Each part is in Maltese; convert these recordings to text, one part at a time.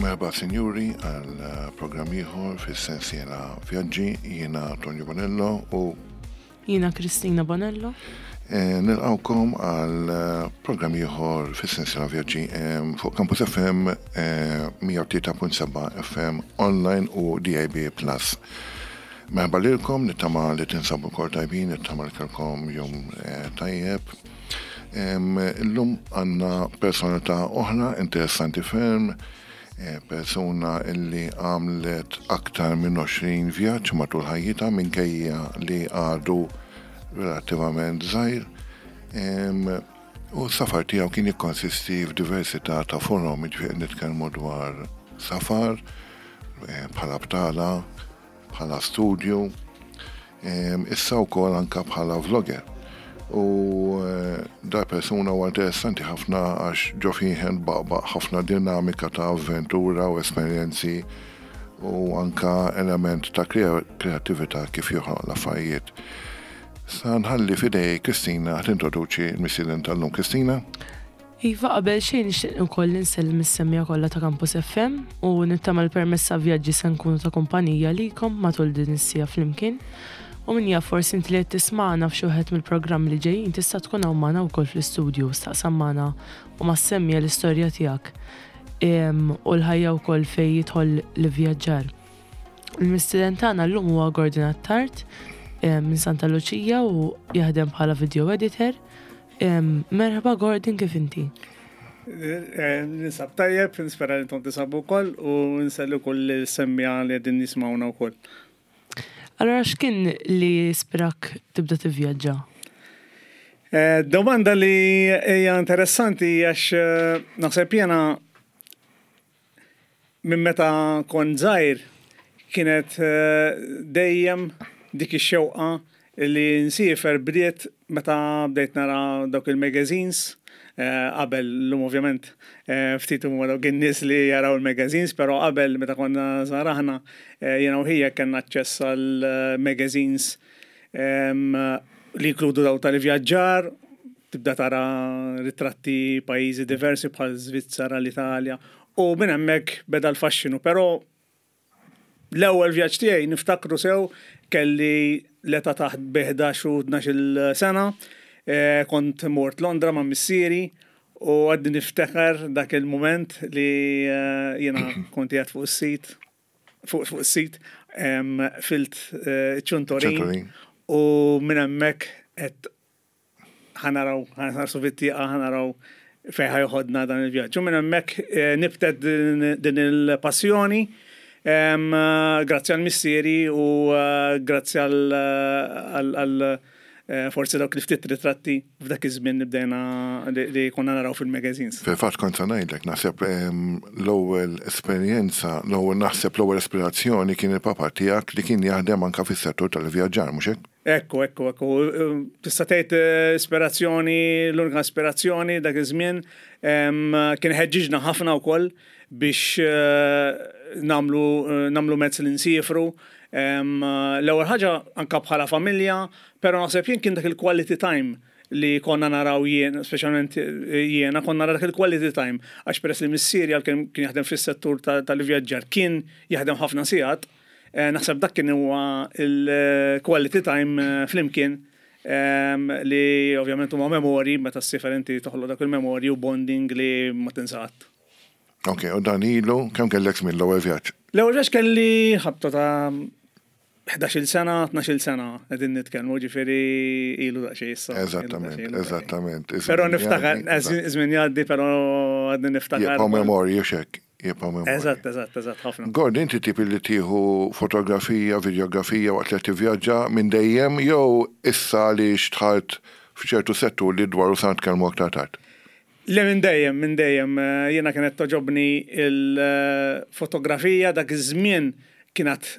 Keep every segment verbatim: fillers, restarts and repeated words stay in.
Merħba, sinjuri, għal eh, programm ieħor fis-sensiela Vjaġġi. Jiena Tonio Bonello u Jiena Kristina Bonello. eh, nilqawkom għal eh, programm ieħor fis-sensiela Vjaġġi eh, fuq Campus F M eh, mija u tlieta punt sebgħa F M online u D A B plus. Merħba lilkom, nittama li tinsabu kol tajbin, nittama li kellkom jum eh, tajjeb. Em, Illum għandna personalità oħra interessanti ferm, eh, persuna illi għamlet aktar minn għoxrin vjaġġ matul ħajjitha minkejja li għadu relattivament żgħir. Em, U s-safar tiegħu kien jikkonsisti f'diversità ta' forom, jiġifieri nitkellmu dwar safar eh, bħala btala, bħala studju, em, issa wkoll anka bħala vlogger. U eh, da persuna huwa interessanti ħafna għax ġo fih baqbaq ħafna dinamika ta' avventura u esperjenzi u anka element ta' krea- kreatività kif joħloq l-affarijiet. Sa nħalli f'idejn Kristina tintroduċi l-mistieden tal-lum. Kristina? Iva, qabel xejn nixtieq ukoll insellem is-semmiegħa kollha ta' Campus F M u nittama l-permezz ta' Vjaġġi se nkunu ta' kumpanija likom matul din is-siegħa flimkien. U min jaf, forsi inti li qed tismagħna f'xi wieħed mill-programmi li ġejjin tista' tkun hawn magħna wkoll fl-istudju, staqsam magħna u mas-semmiegħa l-istorja tiegħek Em, u l-ħajja wkoll fejn jidħol l-vjaġġar. Il-mistieden tagħna llum huwa Gordon Attard em, minn Santa Luċija u jaħdem bħala video editor. Em, Merħba Gordon, kif inti? Eh, Ninsab tajjeb, nispera li intom tinsabu wkoll u nsellu kull semmiegħa li qegħdin jisimgħuna wkoll. Allora, x'kien li ispirak tibda tivvjaġġa? Eh, Domanda li hija interessanti għax eh, naħseb jiena minn meta kont żgħir kienet eh, dejjem dik ix-xewqa li nsiefer. Bdiet meta bdejt nara dawk il-magazines eh, qabel, l-lum ovvjament eh, ftit huma dawk in-nies li jaraw il-magazines, però qabel, meta konna żgħar aħna, eh, jiena u ħija kellna aċċess għal eh, magazines em, li jinkludu daw tal-vjaġġar, tibda tara ritratti pajjiżi diversi bħal Svizzera, l-Italja, u minn hemmhekk beda l-faxxinu, però l-ewwel vjaġġ tiegħi niftakru sew, kelli l-età taħt bi ħdax u tnax-il sena, eh, kont mort Londra ma' missieri u għadni niftakar dak il-moment li eh, jiena kont qiegħed fuq is-seat fuq fuq is-seat em, filt eh, ċuntorin ċuntorin. U minn hemmhekk qed ħa naraw, ħa nħarsu fit-tieqa, ħa naraw fejn ħa joħodna dan il-vjaġġ. U minn hemmhekk eh, nibtet din din il-passjoni em, eh, grazzi għal missieri u eh, grazzi għal għal- għal eh, forsi dawk li ftit ritratti f'dak iż-żmien li bdejna li li konna naraw fil-magazines. Fil-fatt kont se ngħidlek, naħseb em, l-ewwel esperjenza, l-ewwel naħseb l-ewwel ispirazzjoni kien il-papa tiegħek li kien jaħdem anka fis-settur tal-vjaġġar, mhux hekk? Ekku, ekku, ekku. Tista' tgħid eh, ispirazzjoni, l-unika ispirazzjoni dak iż-żmien em, kien ħeġġiġna ħafna wkoll biex eh, namlu eh, namlu mezz li nsifru. Em, L-ewwel ħaġa anka bħala familja, però naħseb jien kien dak il-quality time li konna naraw jien, speċjalment jiena, konna naraw dak il-quality time, għax peress li missieri għal kien kien jaħdem fis-settur ta- tal-vjaġġar, kien jaħdem ħafna sigħat, eh, naħseb dak kien huwa il-quality time eh, flimkien em, li ovvjament huma memori, meta ssiefer inti toħloq dak il-memorji u bonding li ma tinsa qatt. Ok, u dan ilu, kemm kellek żmien l-ewwel vjaġġ? L-ewwel vjaġġ kelli ħabta ta' ħdax-il sena, tnax-il sena qegħdin nitkellmu, ġifieri ilu daqsxejn issa. Ilu Eżattament, daqsxejn, ilu daqsxejn. eżattament. Però Iż-żmien niftakar, jgħaddi, żmien jgħaddi, però għadni niftakar. Jibqgħu memorji, u hekk, jibqgħu memorji. Eżatt, eżatt, eżatt, ħafna. Gord, inti tip li tieħu fotografija, videografija waqt li tivvjaġġa minn dejjem jew issa li xtħalt f'ċertu settur li dwaru sa nitkellmu aktar tard? Le, minn dejjem, minn dejjem. eh, Jiena kienet togħġobni il-fotografija. Dak iż-żmien kienet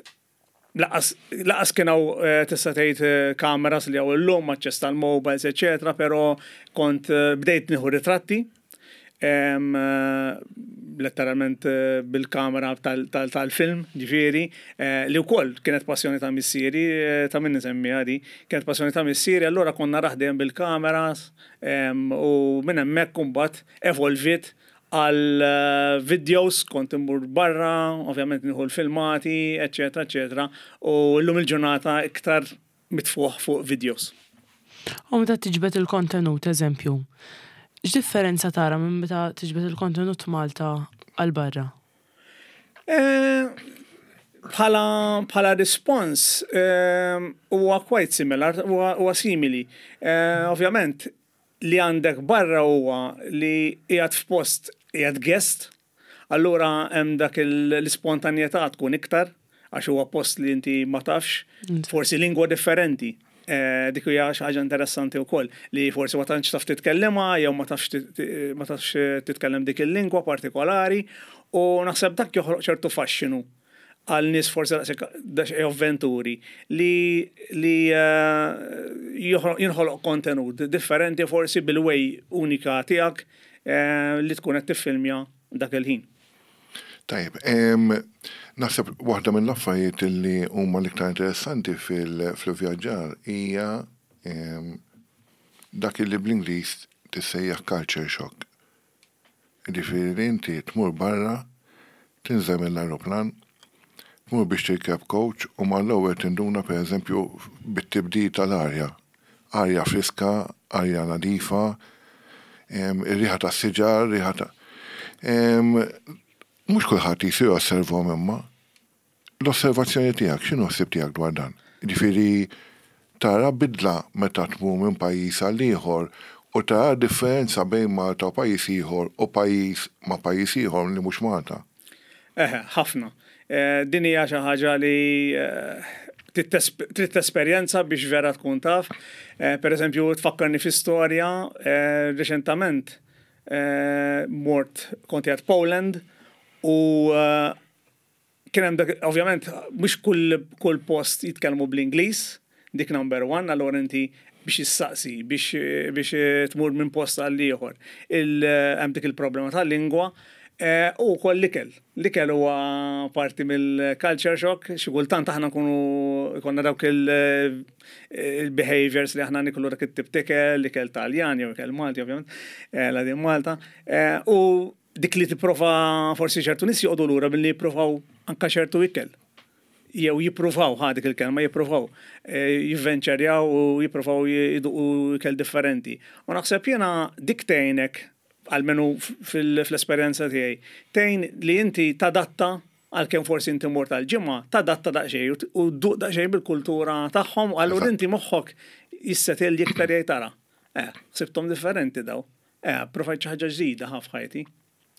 lanqas lanqas kien hawn eh, tista' tgħid eh, kameras li hawn illum, aċċess tal-mobiles, eċetera, però kont eh, bdejt nieħu ritratti em, eh, letteralment eh, bil-kamera tal- tal- tal-film, ġifieri, eh, li wkoll kienet passjoni ta' missieri, eh, ta' min nisemmi di, kienet passjoni ta' missieri, allura konna raħdem bil-kameras em, u minn hemmhekk imbagħad evolvit Għal eh, videos kont immur barra, ovvjament nieħu l-filmati, eccetera, eccetera, u llum il-ġurnata iktar mitfuħ fuq videos. U meta tiġbed il-kontenut, eżempju, x'differenza tara minn meta tiġbed il-kontenut Malta għal barra? Eh, Bħala bħala response eh, huwa quite similar, huwa huwa simili. Eh, Ovvjament li għandek barra huwa li qiegħed f'post, qiegħed guest, allura hemm dak il- l-ispontanjetà tkun iktar għax huwa post li inti ma tafx, forsi lingwa differenti. Eh, dik hija xi ħaġa interessanti wkoll li forsi ma tantx taf titkellimha jew ma tafx tit- ma tafx titkellem dik il-lingwa partikolari, u naħseb dak joħloq ċertu faxxinu għal nies forsi daqshekk daqsxejn avventuri li li eh, joħloq- jinħoloq kontenut differenti, forsi bil-way unika tiegħek eh, li tkun qed tiffilmja dak il-ħin. Tajjeb, em, naħseb waħda mill-affarijiet li huma l-iktar interessanti fil-vjaġġar hija em, dak li bl-Ingliż tissejjaħ culture shock. Ġifieri li inti tmur barra, tinżel mill-aeroplan, tmur biex tirkeb coach u mal-ewwel tinduna, pereżempju, bit-tibdil tal-arja. Arja friska, arja nadifa, em, ir-riħa tas-siġar, riħa ta' Em, Mhux kulħadd jisir osservhom, imma l-osservazzjoni tiegħek, x'inhu ħsieb tiegħek dwar dan? Ġifieri tara bidla meta tmur minn pajjiż għal ieħor u tara differenza bejn Malta u pajjiż ieħor u pajjiż ma' pajjiż ieħor li mhux Malta? Eħe, ħafna. Eh, Din hija xi ħaġa li eh, trid tesperjenza biex vera tkun taf. Eh, Per eżempju, tfakkarni fi storja eh, reċentament eh, mort, kont qiegħed Poland u eh, kien hemm dak, ovvjament mhux kull kull post jitkellmu bl-Ingliż, dik number one, allura inti biex issaqsi, biex biex tmur minn post għal ieħor. Il hemm dik il-problema tal-lingwa eh, u wkoll l-ikel. L-ikel huwa parti mill-culture shock, xi kultant aħna nkunu konna dawk il- il-behaviors li aħna niklu dak it-tip t'ikel, l-ikel Taljan jew ikel Malti ovvjament, eh, la din Malta. Eh, U dik li tipprova, forsi ċertu nies joqogħdu lura billi jippruvaw anka ċertu ikel. Jew jippruvaw, ħa dik il-kelma, jippruvaw, eh, jivvenċerjaw u jippruvaw jiduqu ikel differenti. U naħseb jiena dik tgħinek, almenu fil-esperjenza tiegħi, tgħin li inti tadatta, għalkemm forsi inti mort tal-ġimgħa, tadatta daqsxejn u dduq daqsxejn bil-kultura tagħhom, u allura inti moħħok jissetil iktar, jgħid tara. Eh, sibtom differenti daw. Eh, provajt xi ħaġa ġdida ħa f'ħajti.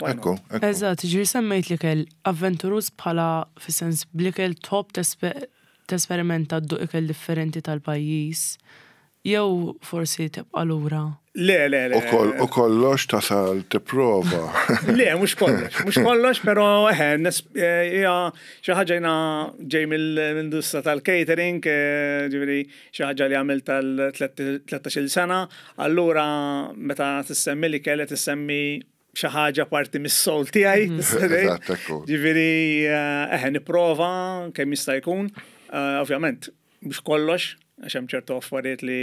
Why not? Ekku, ekku. Eżatt, ġiri semmejt l-ikel, avventuruż bħala fis-sens bl-ikel top tesperimenta dduq ikel differenti tal-pajjiż, jew forsi tibqa' lura? Le, le, le. U koll- U kollox tasal tipprova. Le, mhux kollox, mhux kollox, pero eħe, nes- eh, hija xi ħaġa, jiena ġej mill-industrija tal-catering, eh, ġifieri xi ħaġa li għamilt tal-tlettax-il sena, allura meta tissemmi li kellet tissemmi xi ħaġa parti mis-soul tiegħi, tista' tgħid. Eżatt, ekku. Ġifieri eh, eħe, nipprova kemm jista' jkun, eh, ovvjament, mhux kollox, għax hemm ċertu affarijiet li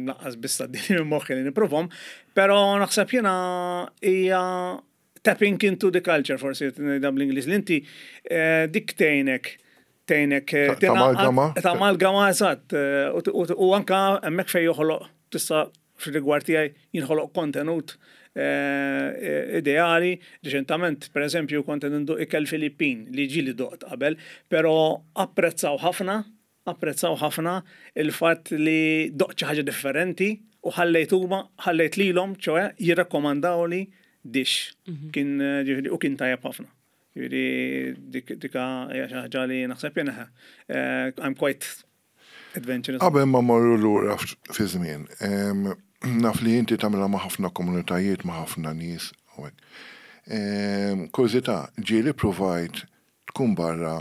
lanqas biss tgħaddili minn moħħi li nipprovhom, però naħseb jiena hija tapping into the culture, forsi ngħidha bl-Ingliż, li inti eh, dik tgħinek tgħinek eh, Ta- tamalgama? Tamalgama, eżatt, eh, u- u u anka hemmhekk fejn joħloq, tista' fil-rigward tiegħi jinħoloq kontenut eh, ideali. Reċentament, per eżempju, kont nduq ikel Filippin li ġieli doqt qabel, però apprezzaw ħafna, apprezzaw ħafna il-fatt li doqt xi ħaġa differenti u ħallejt huma, ħallejt lilhom, ċoè jirrakkomandawli dish. Kien eh, ġifieri, u kien tajjeb ħafna. Ġifieri dik dika hija xi ħaġa li naħseb jiena eh, I'm quite adventurous. Qabel ma morru lura f- fi żmien, em, naf li inti tagħmilha ma' ħafna komunitajiet, ma' ħafna nies u hekk. Em, Kurżità, ġieli provajt tkun barra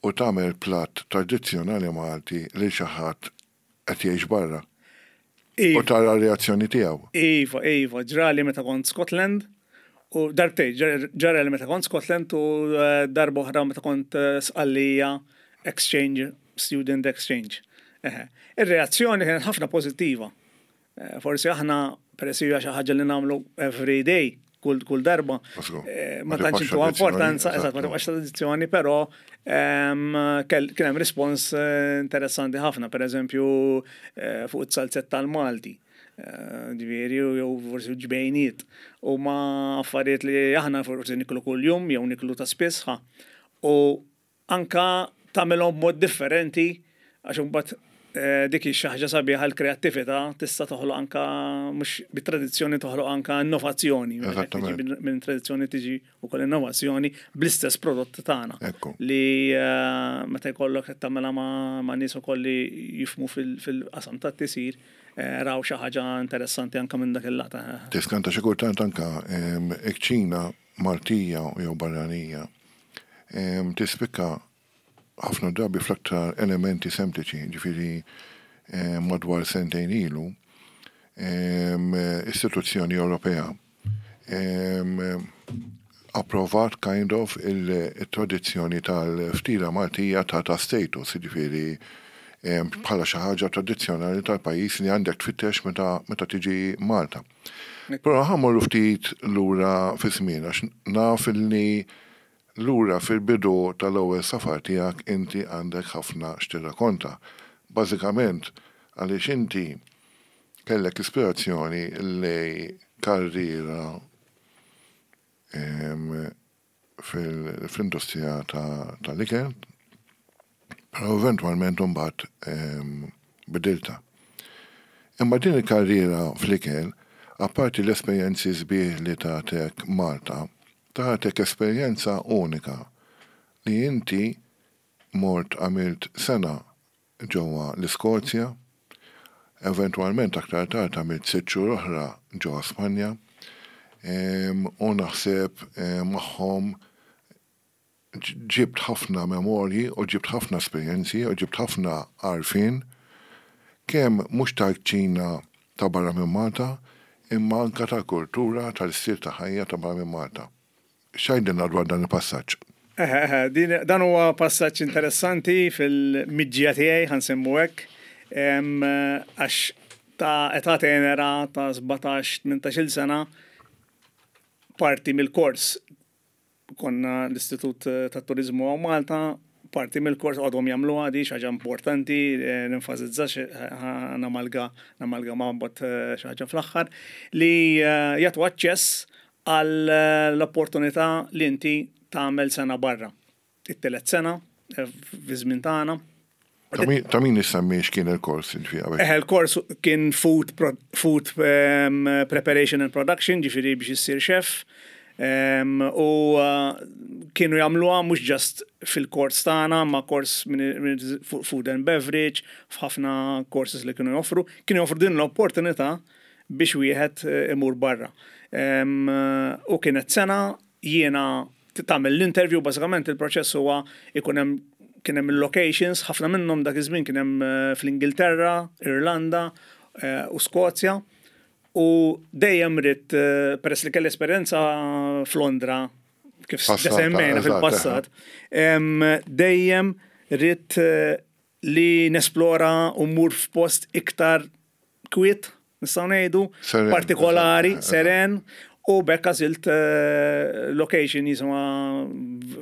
u tagħmel platt tradizzjonali Malti lil xi ħadd qed jgħix barra u Iva, tara r-reazzjoni tiegħu? Iva, Iva, ġrali meta kont Scotland, u darbtej, ġrali meta kont Scotland u eh, darba oħra meta kont eh, Sqallija exchange, student exchange. Eħe. Ir-reazzjoni kienet ħafna pożittiva. Eh, Forsi aħna, peress hija xi ħaġa li nagħmlu every day, kull kull darba. Eh, ma tantx intuha importanza, eżatt, ma tibqax tradizzjoni, però ehm, kien hemm rispons eh, interessanti ħafna, per eżempju eh, fuq it-salzett tal-Malti. Ġifieri, jew forsi ġbejniet. U ma affarijiet li aħna forsi niklu kull-jum, jew niklu ta' spiss. U anka tagħmilhom b'mod differenti, għax imbagħad eh, dik hi xi ħaġa sabiħa, l-kreattività tista' toħloq anka mhux bit-tradizzjoni, toħloq anka innovazzjoni. Minn tradizzjoni tiġi wkoll innovazzjoni bl-istess prodott tagħna. Li eh, meta jkollok qed tagħmilha ma' nies ukoll li jifhmu fil-qasam tat-tisjir, eh, raw xi ħaġa interessanti anka minn dak il-lata. Tiskanta xi kultant anka kċina Maltija jew barranija tispikka ħafna drabi fl-aktar elementi sempliċi, ġifieri madwar sentejn ilu, istituzzjoni Ewropea approvat kind of il-tradizzjoni tal-ftira Maltija ta' ta' status, ġifieri bħala xi ħaġa tradizzjonali tal-pajjiż li għandek tfittex meta, meta tiġi Malta. Però ħa mmorru ftit lura fi żmien, għax naf li lura fil-bidu tal-ewwel safar tiegħek inti għandek ħafna x'tirrakonta. Bażikament għaliex inti kellek ispirazzjoni lejn karriera fil-industrija tal-ikel, però eventwalment imbagħad bidilta. Imma din il-karriera fl-ikel, apparti l-esperjenzi sbieħ li tatek Malta, tatek esperjenza unika li inti mort għamilt sena ġewwa l-Iskozja, eventwalment aktar tard għamilt sitt xhur oħra ġewwa Spanja, u naħseb magħhom ġibt ħafna memorji u ġibt ħafna esperjenzi u ġibt ħafna għarfien kemm mhux tal-kċina ta' barra minn Malta, imma anka tal-kultura, tal-istil ta' ħajja ta' barra minn Malta. X'għidilna dwar dan il-passaġġ? Eħe, eħe, dan huwa passaġġ interessanti fil-miġja tiegħi, ħa nsemmu hekk, għax ta' età tenera ta' sbatax tmintax-il sena, parti mill-kors, konna l-Istitut ta' Turizmu hawn Malta, parti mill-kors għadhom jagħmlu għadi xi ħaġa importanti, nenfasizza, namalga namalga ma' mbagħad xi ħaġa fl-aħħar, li jagħtu aċċess għal l-opportunità li inti tagħmel sena barra. It-telet sena fi żmien tagħna. Ta' min issemmi x'kien il-kors il qabel? Eh, il-kors kien food, food um, preparation and production, ġifieri biex issir chef. Um, u uh, kienu jagħmluha mhux just fil-kors tagħna, ma kors minn food and beverage, f'ħafna courses li kienu joffru, kienu joffru din l-opportunità biex wieħed imur barra. Um, u kienet sena jiena tagħmel l-interview, bażikament il-proċess huwa ikun hemm kien hemm il-locations, ħafna minnhom dak iż-żmien kien hemm fl-Ingilterra, Irlanda u Skozja. U dejjem ridt, peress li kelli esperjenza f'Londra, kif semmejna fil-passat, dejjem ridt li nesplora u mmur f'post iktar kwiet, nistgħu ngħidu, partikolari, seren, u b'hekk għażilt location jisimha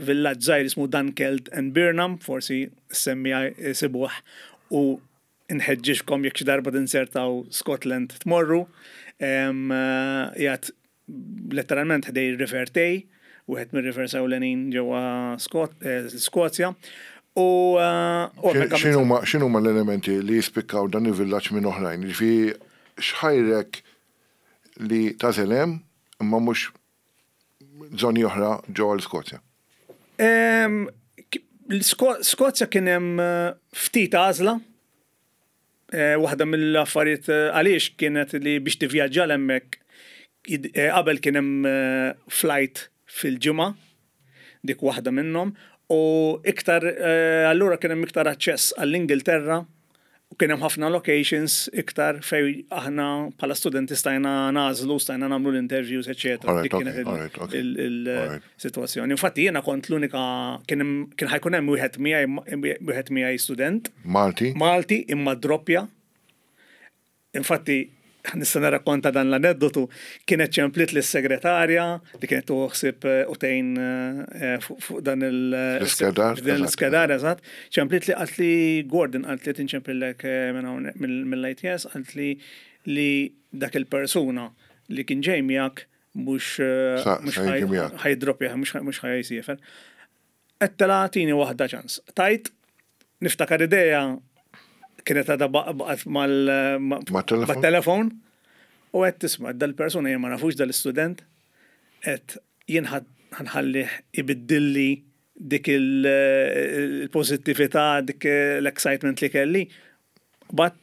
villaġġ żgħir jismu Dunkeld and Birnam, forsi semmi sibuh, u nħeġġiġkom jekk xi darba tinzertaw Scotland tmorru. Qiegħed letteralment ħdej River Tay, wieħed mir-rivers ewlenin ġewwa Skozja. U x'inhuma l-elementi li jispikkaw dan il-villaġġ minn oħrajn? Ġifieri x'ħajrek li tagħżel hemm imma mhux żoni oħra ġewwa l-Skozja? Skozja kien hemm ftit għażla. Waħda mill-affarijiet għaliex kienet li biex tivvjaġġa hemmhekk qabel kien hemm flight fil-ġimgħa, dik waħda minnhom, u iktar allura kien hemm iktar aċċess għall-Ingilterra u kien hemm ħafna locations iktar fej aħna bħala studenti stajna nagħżlu, stajna nagħmlu l-interviews, eċetera. Dik kienet il-sitwazzjoni. Infatti jiena kont l-unika, kien ħa jkun hemm wieħed miegħi wieħed miegħi student. Malti? Malti, imma droppja. Infatti Nista' nirrakkonta dan l-aneddotu, kienet ċemplit lis-segretarja li kienet tuħsib u tgħin eh, fuq dan il- L-iskedar, dan l-iskedar, eżatt. Ċemplit li qalt li Gordon, qalt li tinċemplillek eh, minn hawn mill-I T S, qalt li li dak il-persuna li kien ġej miegħek mhux eh, Sa- mhux sa jiġi miegħek. ħa jiddroppja, mhux mhux ħa jsiefer. Għedtilha tini waħda ċans. Tajt, niftakar idea kienet għadha baqgħet mal ma- Mat-telefon? mat-telefon u għedt tisma' dal-persuna jien ma nafux dal-istudent, għedt jien ħa nħallih ibiddilli dik il-pozittività, dik l-excitement li kelli. But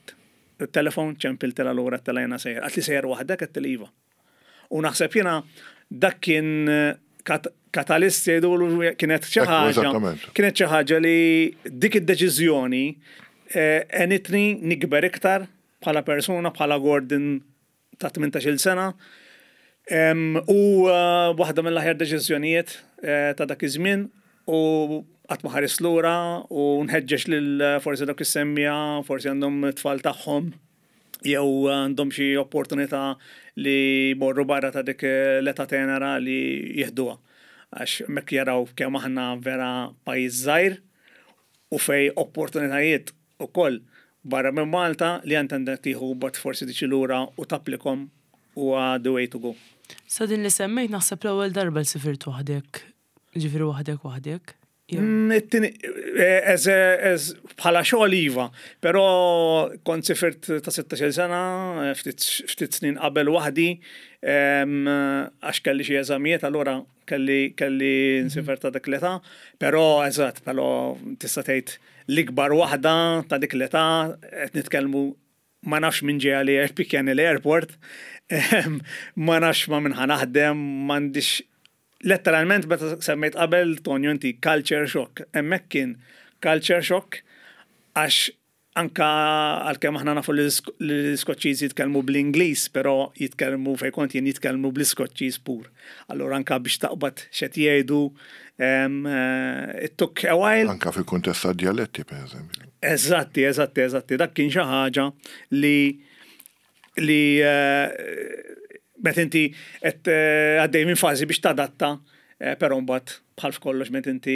il-telefon ċempiltilha lura, għedtilha jiena sejjer. Qaltli sejjer waħdek? Għedtilha iva. U naħseb jiena dak kien kat catalyst jgħidu, kienet xi Ekku, ħaġa. eżattament. Kienet xi ħaġa li dik id-deċiżjoni eh, għenitni nikber iktar bħala persuna, bħala Gordon ta' tmintax-il sena. Em, U eh, waħda mill-aħjar deċiżjonijiet eh, ta' dak iż-żmien u qatt ma ħares lura u nħeġġeġ lil eh, forsi dak is-semmiegħa, forsi għandhom tfal tagħhom jew għandhom xi opportunità li morru barra ta' dik l-età tenera li jieħduha. Għax mek jaraw kemm aħna vera pajjiż żgħir u fej opportunitajiet ukoll barra minn Malta li għand għandek tieħu but forsi tiġi lura u tapplikom huwa the way to go. Sa din li semmejt, naħseb l-ewwel darba li sifirt waħdek, ġifieri waħdek waħdek. Jew- Mm, it-tieni- eh, as as bħala xogħol iva, però kont sifirt ta' sittax-il sena, eh, ftit ftit snin qabel waħdi, em, għax kelli xi eżamijiet, allura kelli kelli nsiefer ta' dik l-età, però eżatt, però tista' tgħid l-ikbar waħda ta' dik l-età, qed nitkellmu ma nafx minn ġeja li pikkjani l-airport, em, ma nafx ma minn ħa naħdem, m'għandix letteralment, meta semmejt qabel, Tonio, inti culture shock. Hemmhekk kien culture shock għax anka għalkemm aħna nafu li l-Iskoċċiżi jitkellmu bl-Ingliż, però jitkellmu fejn kont jien jitkellmu bl-Iskoċċiż pur. Allura anka biex taqbad x'qed jgħidu em, eh, it took a while. Anka fil-kuntest ta' dialetti, per eżempju. Eżatti, eżatti, eżatti. Dak kien xi ħaġa li li eh, meta inti qed eh, għaddej minn fażi biex tadatta, eh, però mbagħad bħal f'kollox meta inti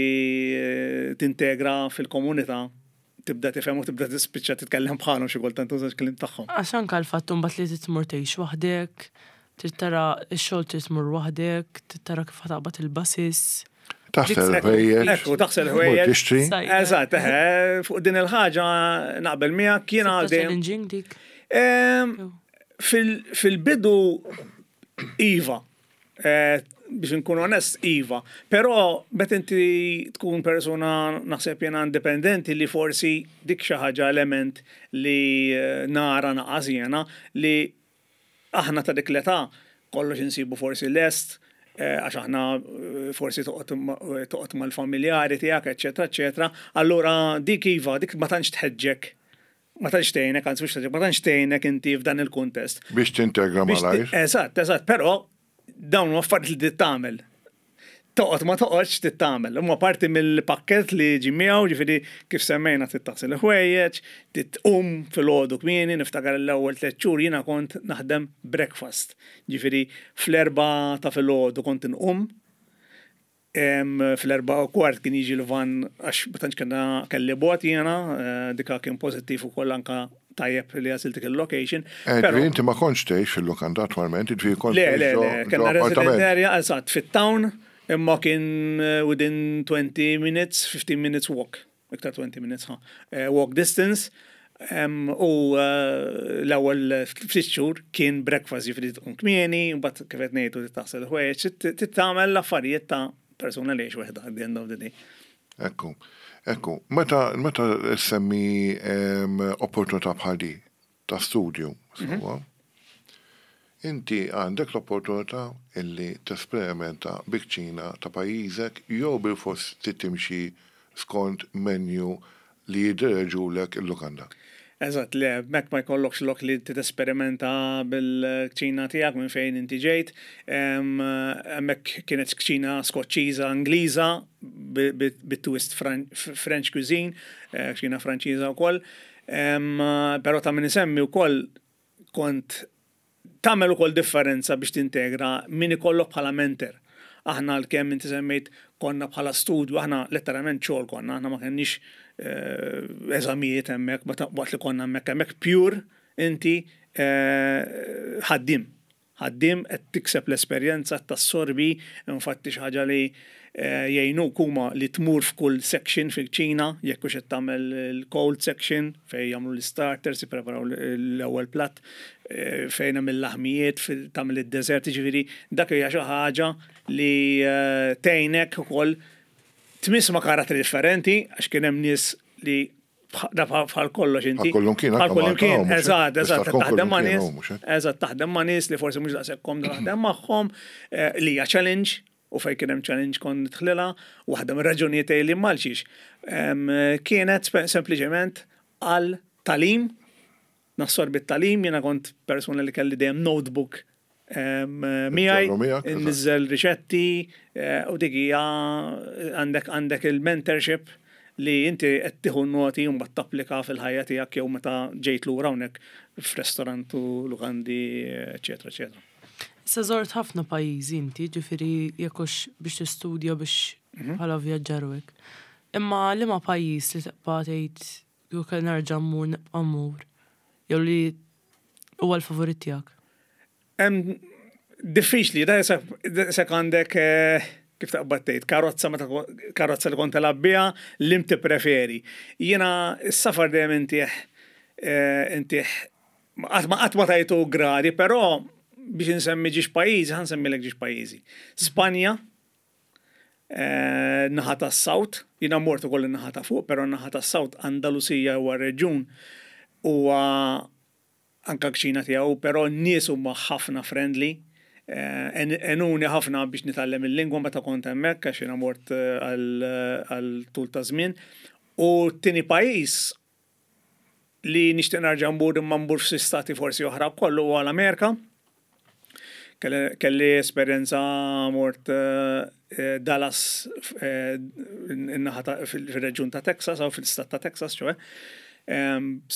eh, tintegra fil-komunità tibda tifhem u tibda tispiċċa titkellem bħalhom, xi kultant tużax kliem tagħhom. Għax anka l-fatt mbagħad li titmur tgħix waħdek, trid tara x-xogħol, trid tmur waħdek, trid tara kif taqbad il-buses. Taħsel Dik- ħwejjeġ. Ekku, taħsel Mur ħwejjeġ. tixtri. Saj- Eżatt, eħe, fuq din il-ħaġa naqbel miegħek jiena Sibta dejjem challenging dik. Em, Jew. fil- Fil-bidu, iva, Eh, biex nkun onest, iva. Però meta inti tkun persona naħseb jena indipendenti li forsi dik xi ħaġa element li eh, nara naqas jena li aħna ta' dik l-età kollox insibu forsi lest, eh, għax aħna eh, forsi toqgħod ma- toqgħod mal-familjari tiegħek, eċetera, eċetera. Allura dik iva, dik ma tantx tħeġġek, ma tantx tgħinek, anzi mhux tħeġġek, ma tantx tgħinek inti f'dan il-kuntest. Biex tintegra Biex ti- malajr. Eżatt, eżatt, però dawn huma affarijiet li trid tagħmel. Toqgħod ma toqgħodx trid tagħmel. Huma parti mill-pakket li ġi miegħu, ġifieri kif semmejna trid taħsel il-ħwejjeġ, trid tqum filgħodu kmieni, niftakar l-ewwel tliet xhur jiena kont naħdem breakfast. Ġifieri fl-erbgħa ta' filgħodu kont inqum, Em, fl-erbgħa u kwart kien jiġi l-van għax ma tantx kellna kelli bot jiena, eh, dika kien pożittiv ukoll anka tajjeb li għażilt dik il-location. Eh, Però- ġifieri inti ma kontx tgħix fil-lukanda attwalment, ġifieri kont Le, tgħix le, ġo- le, ġo kellna resident appartament. area, eżatt, fit-town, imma kien eh, within twenty minutes, fifteen minutes walk, iktar twenty minutes, ha, eh, walk distance. Em, U eh, l-ewwel ftit xhur kien breakfast, ġifieri tqum kmieni, mbagħad kif qed ngħidu titaħsel ħwejjeġ, trid tagħmel l-affarijiet ta' persuna li jgħix waħda at the end of the day. Ekku, ekku. Meta, meta semmi em, opportunità bħal di ta' studju, sewwa, inti għandek l-opportunità illi tesperimenta bil-kċina ta' pajjiżek jew bil-fors trid timxi skont menu li jiddireġulek il-lukanda? Eżatt, le, mek ma jkollokx lok li t-esperimenta bil-kċina tiegħek minn fejn inti ġejt. Em, Hemmhekk kienet kċina Skoċċiża, Ingliża, bit-twist French cuisine, eh, kċina Franċiża wkoll. Em, Però ta' min isemmi wkoll kont Tagħmel ukoll differenza biex tintegra min ikollok bħala mentor. Aħna l-kemm inti semmejt konna bħala studju, aħna letteralment xogħol konna, aħna ma kenniex eh, eżamijiet hemmhekk, waqt li konna hemmhekk, hemmhekk pure inti eh, ħaddim. Ħaddim qed tikseb l-esperjenza, tassorbi, infatti xi ħaġa li eh, jgħinuk huma li tmur f'kull section fil-kċina, jekk hux qed tagħmel il-cold section fejn jagħmlu l-starters, jippreparaw l-ewwel platt, eh, fejn hemm il-laħmijiet, tagħmel id-dessert, ġifieri dak hija xi ħaġa li eh, tgħinek ukoll tmiss ma' karattri differenti, għax kien hemm nies li da bħal kollox inti. Bħal kullimkien, eżatt, eżatt, taħdem ma' nies, eżatt, taħdem ma' nies li forsi mhux daqshekk komdu taħdem magħhom, li hija challenge, u fej kien hemm challenge kont nidħlilha, waħda mir-raġunijiet li malxiex. Kienet sempliċement għal tagħlim, nassorbi t-tagħlim, jiena kont persuna li kelli dejjem notebook miegħi, nniżżel riċetti, eh, u dik hija għandek għandek il-mentorship li inti qed tieħu noti u mbagħad tapplika fil-ħajja tiegħek jew meta ġejt lura hawnhekk f'restorant u lukandi, eċetera, eċetera. Issa żort ħafna pajjiżi inti, ġifieri jekk hux biex tistudja, biex mhm. bħala vjaġġar hekk. Imma liema pajjiż li tibqa' tgħid jew kell nerġa' mmur, nibqa' mmur, jew li huwa l-favorit tiegħek? Diffiċli, da jekk għandek eh, kif taqbad tgħid, karozza meta karozza li kont telgħab biha, li preferi. Jiena s-safar dejjem intih eh, intih qatt ma qatt ma tajtu gradi, però biex insemmi żewġ pajjiżi, ħa nsemmilek żewġ pajjiżi. Spanja, eh, naħa tas-South, jiena mort ukoll naħa ta' fuq, però naħa tas-South, Andalusija huwa reġjun, huwa anka kċina tiegħu, però n-nies huma ħafna friendly. Eh, għenuni ħafna biex nitgħallem il-lingwa meta kont hemmhekk, għax jiena mort eh, għal tul ta' żmien. U t-tieni pajjiż li nixtieq nerġa' mmur, imma mmur f'xi stati forsi oħra kollu, huwa l-Amerika. Kelli esperjenza mort eh, Dallas, fil-reġjun ta' Texas, jew fil-stat ta' Texas, ċoè.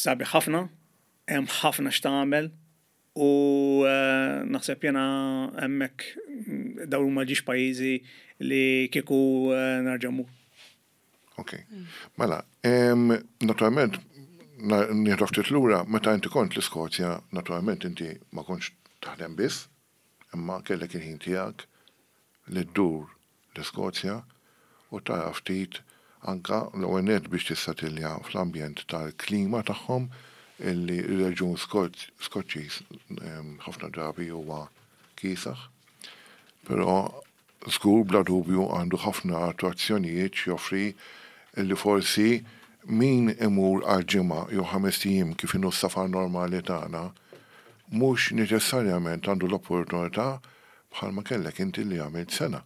Sabiħ ħafna, hemm ħafna x'tagħmel u eh, naħseb jena hemmhekk dawn huma żewġ pajjiżi li kieku eh, nerġa' mmur. Ok. Mela, naturalment, nieħdu ftit lura, meta inti kont l-Iskozja, naturalment inti ma kontx taħdem biss, imma kellek il-ħin tiegħek li ddur l-Iskozja u tara ftit anka l-ewwel biex tissatilja fl-ambjent tal-klima tagħhom, illi il-reġjun Skoċċiż ħafna drabi huwa kiesaħ, però żgur bla dubju għandu ħafna attrazzjonijiet joffri illi forsi min imur għal ġimgħa jew ħames ijiem, kif inhu s-safar normali tagħna, mhux neċessarjament għandu l-opportunità bħalma kellek inti li għamilt sena.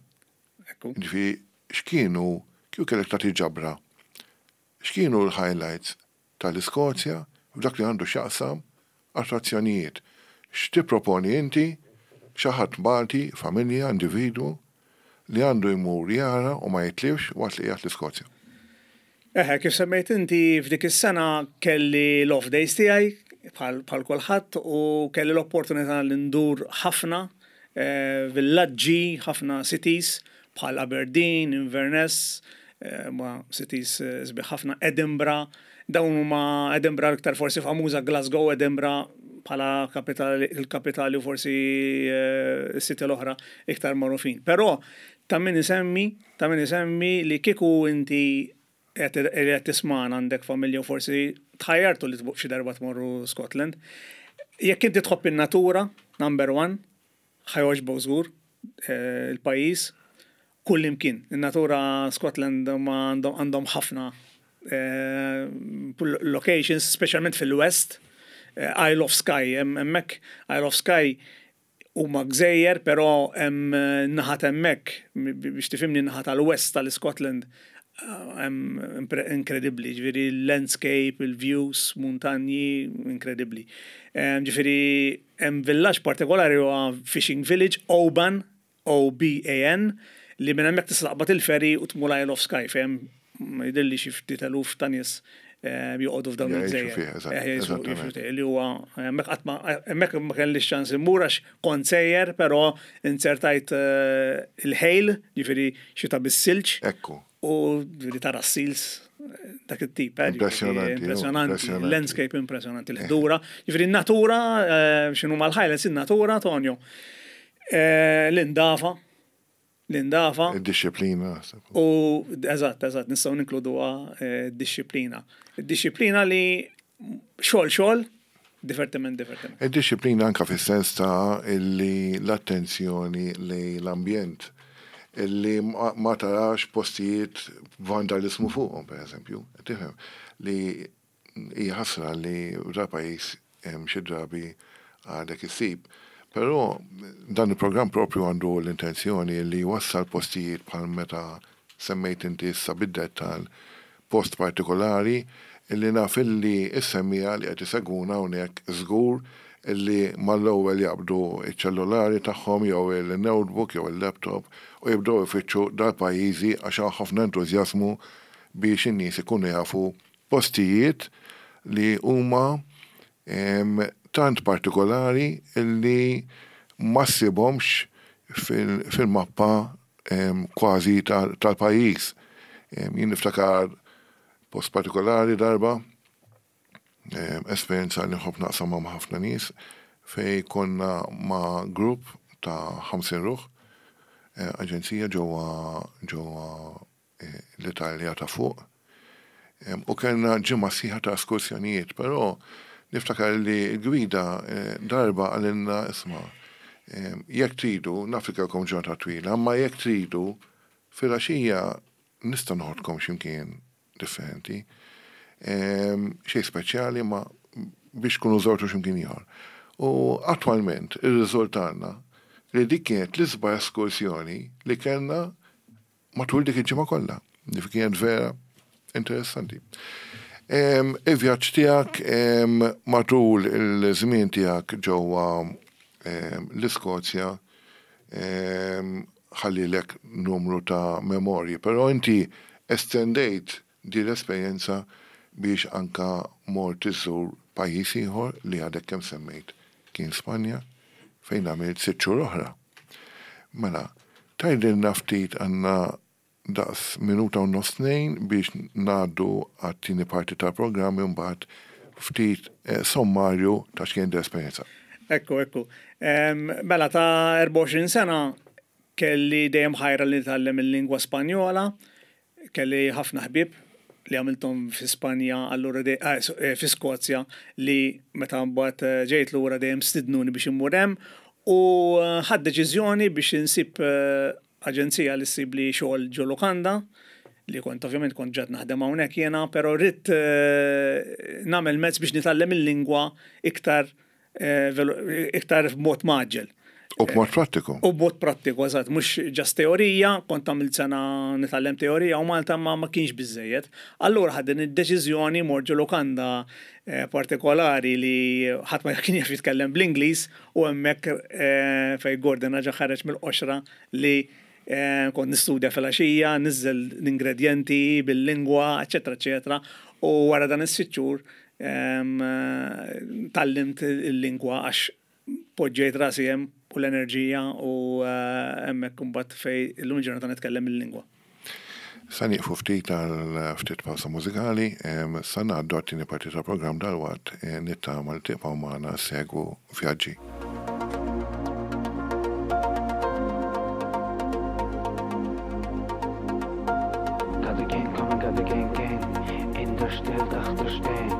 Ġifieri x'kienu, kieku kellek tagħti ġabra, x'kienu l-highlights tal-Iskozja f'dak li għandu x'jaqsam attrazzjonijiet? X'tipproponi inti xi ħadd Malti, familja, individwu li għandu jmur jara u ma jitlifx waqt li qiegħed l-Iskozja? Eħe, kif semmejt inti, f'dik is-sena kelli l-off days tiegħi bħal kulħadd u kelli l-opportunità li ndur ħafna eh, villaġġi, ħafna cities bħal Aberdeen, Inverness, eh, ma cities eh, sbieħ ħafna, Edinburgh, dawn huma Edinburgh iktar forsi famuża, Glasgow, Edinburgh bħala kapitali, il-kapitali u forsi s-city l-oħra iktar magħrufin. Però ta' min isemmi, ta' min isemmi li kieku inti qed tismana għandek familja u forsi tħajjartu li xi darba tmorru Scotland. Jekk inti tħobb in-natura, number one, ħa jogħġbok żgur eh, il-pajjiż, kull imkien. In-natura Scotland ma għandhom ħafna eh, locations, speċjalment fil-West, eh, Isle of Skye, hemmhekk Isle of Skye huma gżejjer, però hemm naħat hemmhekk, biex tifhimni, naħa tal-West tal-Scotland hemm inkredibbli, ġifieri landscape, il-views, muntanji, inkredibbli. Ġifieri hemm villaġġ partikolari, huwa fishing village, Oban, O B A N, li minn hemmhekk tista' taqbad il-ferry u tmur Isle of Skye fejn jidhirli xi ftit eluf ta' nies. eh, joqogħdu f'dawn Jgħixu il-gżejjer. fih, eżatt, Eh, jgħixu- eżattament. jgħixu fih, Li huwa hemmhekk qatt ma hemmhekk ma kellix ċans immur għax kont sejjer, però insertajt eh, il-ħejl, ġifieri xita bis-silġ Ekku. u ġifieri tara s-seals dak it-tip. eh, ġifieri Impressjonanti, oh, Impressjonanti, impressjonanti. landscape impressjonanti, l-ħdura. Ġifieri n-natura, eh, x'inhu mal-Highlands, in-natura, Tonio. Eh, L-indafa, l-indafa. Id-disciplina. U eżatt, eżatt, nistgħu ninkluduha eh, disċiplina. Id-disciplina li xogħol xogħol, divertiment divertiment. Id-disciplina anka fis-sens ta' illi l-attenzjoni li l-ambjent illi ma ma tarax postijiet vandalizmu fuqhom, per eżempju. Tifhem li hija ħasra li da pajjiż hemm xi drabi għadek issib. Però dan il-programm propju għandu l-intenzjoni li jwassal postijiet bħal meta semmejt inti issa bid-dettal post partikolari illi naf illi is-semmija li qed isegwuna hawnhekk żgur illi mal-ewwel jaqbdu iċ-ċellulari tagħhom jew il-notebook jew il-laptop u jibdew ifittxu dal-pajjiżi għax hawn ħafna entużjażmu biex in-nies ikunu jafu postijiet li huma em, tant partikolari illi ma ssibhomx fil- fil-mappa em, kważi tal- tal-pajjiż. Em, Jien niftakar post partikolari darba, em, esperjenza li nħobb naqsam ma' ħafna nies, fej konna ma' grupp ta' ħamsin ruħ, eh, aġenzija ġewwa ġewwa eh, l-Italja ta' fuq. Em, U kellna ġimgħa sħiħa ta' eskursjonijiet, però niftakar li l-gwida eh, darba qalilna isma' em, jekk tridu, naf li kellkom ġurnata twila, imma jekk tridu filgħaxija nista' noħodkom x'imkien differenti. Em, Xejn speċjali ma biex tkunu żortu x'imkien ieħor. U attwalment irriżultalna li dik kienet l-isbaħ eskursjoni li kellna matul dik il-ġimgħa kollha. Dik kienet vera interessanti. Em, Il-vjaġġ tiegħek em, matul il-żmien tiegħek ġewwa em, l-Iskozja em, ħallilek numru ta' memorji, però inti estendejt di l-esperjenza biex anka mort iżżur pajjiż ieħor li għadek kemm semmejt kien Spanja fejn għamilt sitt xhur oħra. Mela, tgħidilna ftit għandna daqs minuta u nofs tnejn biex ngħaddu għat-tieni parti tal-programm imbagħad ftit eh, sommarju ta' x'kien l-esperjenza. Ekku, ekku. Em, Mela ta' erbgħa u għoxrin sena kelli dejjem ħajra li nitgħallem il-lingwa Spanjola, kelli ħafna ħbieb li għamilthom fi Spanja, allura de, ah, so- eh, fi Skozja, li meta mbagħad eh, ġejt lura dejjem stidnuni biex immur hemm u eh, ħadt deċiżjoni biex insib eh, aġenzija li ssib li xogħol ġo lukanda li kont ovvjament kont ġad naħdem hawnhekk jiena, però rrid eh, nagħmel mezz biex nitgħallem il-lingwa iktar eh, velo- iktar b'mod mgħaġġel. U b'mod prattiku. U b'mod prattiku, eżatt, mhux just teorija, kont għamilt sena nitgħallem teorija u Malta ma ma kienx biżejjed. Allura ħadt din id-deċiżjoni mort ġo lukanda eh, partikolari li ħadd ma kien jaf jitkellem bl-Ingliż u hemmhekk eh, fej Gordon raġa ħareġ mill-qoxra li eh, kont nistudja fil-għaxija, niżel l-ingredienti bil-lingwa, eċetera, eċetera. U wara dan is-sitt xhur em, eh, tgħallimt il-lingwa għax poġġejt rasi hemm u l-enerġija u eh, hemmhekk imbagħad fej illum il-ġurnata nitkellem il-lingwa. Sa nieqfu ftit għal ftit pawsa mużikali, em, sa ngħaddu għat-tieni parti tal-programm dalwaqt, eh, nittama li tibqgħu magħna segwu vjaġġi. Got the gang coming, got the gang gang. In der Stille dachte stehen.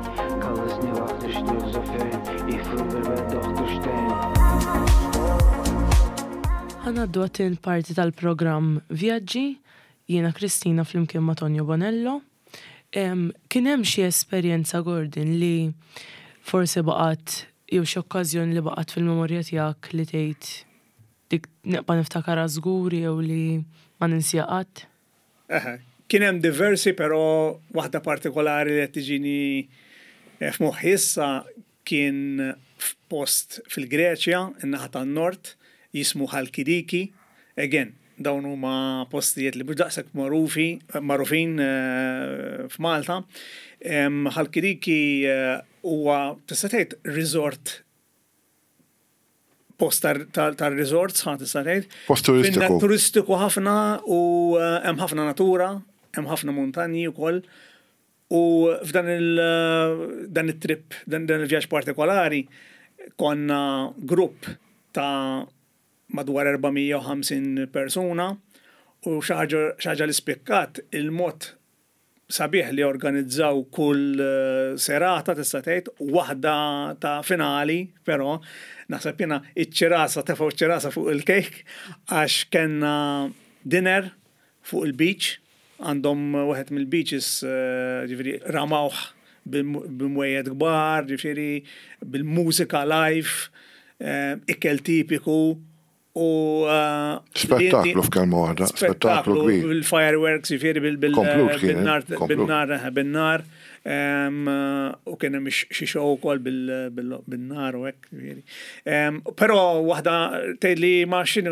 Kann es nie wachten, still so fern. Ich fühle mir doch der Stehen. Ħa ngħaddu għat-tieni parti tal-programm Vjaġġi, jiena Kristina flimkien ma' Tonio Bonello. Em, Kien hemm xi esperjenza Gordon li forsi baqgħet jew xi okkażjoni li baqgħet fil-memorja tiegħek li tgħid dik nibqa' niftakarha żgur jew li ma ninsija qatt? Eħe, kien hemm diversi, però waħda partikolari li qed tiġini eh, f'moħħi issa kien f'post fil-Greċja, in-naħa tan-nord, jismu Halkidiki. Again, Dawn huma postijiet li mhux daqshekk magħrufi, magħrufin eh, f'Malta. Ħalkidiki eh, huwa, tista' tgħid, resort, post tar-resorts, ħa tista' tgħid. Post turistiku. Turistiku ħafna u eh, hemm ħafna natura, hemm ħafna muntanji wkoll. U f'dan il dan it-trip, dan il-vjaġġ partikolari, konna grupp ta' madwar erba' mija u ħamsin persuna u xi ħaġa li spikkat, il-mod sabiħ li organizzaw kull eh, serata, tista' tgħid, waħda ta' finali, però naħseb jiena iċ-ċirasa, tefgħu ċ-ċirasa fuq il-kejk, għax kellna dinner fuq il-beach, għandhom wieħed mill-beaches, eh, ġifieri ramawh b'mwejjed kbar, ġifieri bil-mużika live, eh, ikel tipiku u uh, Spettaklu, f'kelma waħda, spettaklu kbir. Bil-fireworks, ġifieri bil-nar, bil-nar, bin-nar, u kien hemm xi show ukoll bil-nar u hekk, ġifieri. Però waħda tgħidli ma x'inhu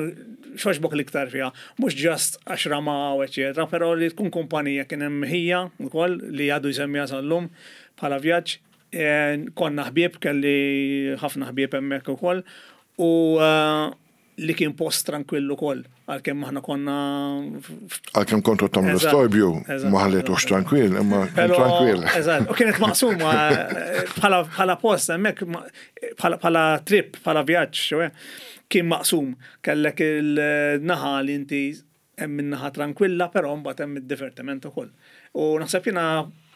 x'għoġbok l-iktar fiha, mhux just għax ramaw, eċetera, però li tkun kumpanija. Kien hemm ħija wkoll li għadu jsemmiha sal-lum bħala vjaġġ. Konna ħbieb, kelli ħafna ħbieb hemmhekk ukoll. U uh, li kien post tranquillu ukoll, għalkemm aħna konna. Għalkemm kontu tagħmlu storbju, ma ħallitux tranquill, imma tranquill. Eżatt, u kienet maqsuma bħala post hemmhekk, bħala trip, bħala vjaġġ, kien maqsum. Kellek il-naħa li inti hemm min-naħa tranquilla, però mbagħad hemm id-divertiment ukoll. U naħseb jiena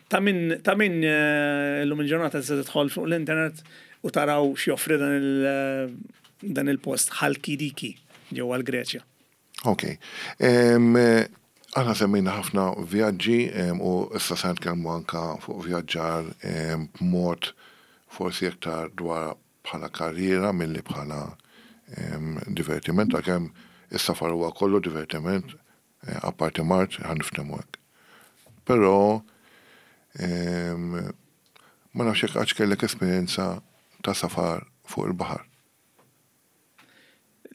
ta' min ta' min eh, illum il-ġurnata se tidħol fuq l-internet u taraw x'joffri dan il- dan il-post Ħalkidiki ġewwa l-Greċja. Ok. Aħna semmejna ħafna vjaġġi u issa se nitkellmu anka fuq vjaġġar b'mod forsi iktar dwar bħala karriera milli bħala divertiment, għalkemm is-safar huwa kollu divertiment, eh, apparti mard, ħa niftehmu hekk. Però ma nafx jekk għax kellek esperjenza ta' safar fuq il-baħar.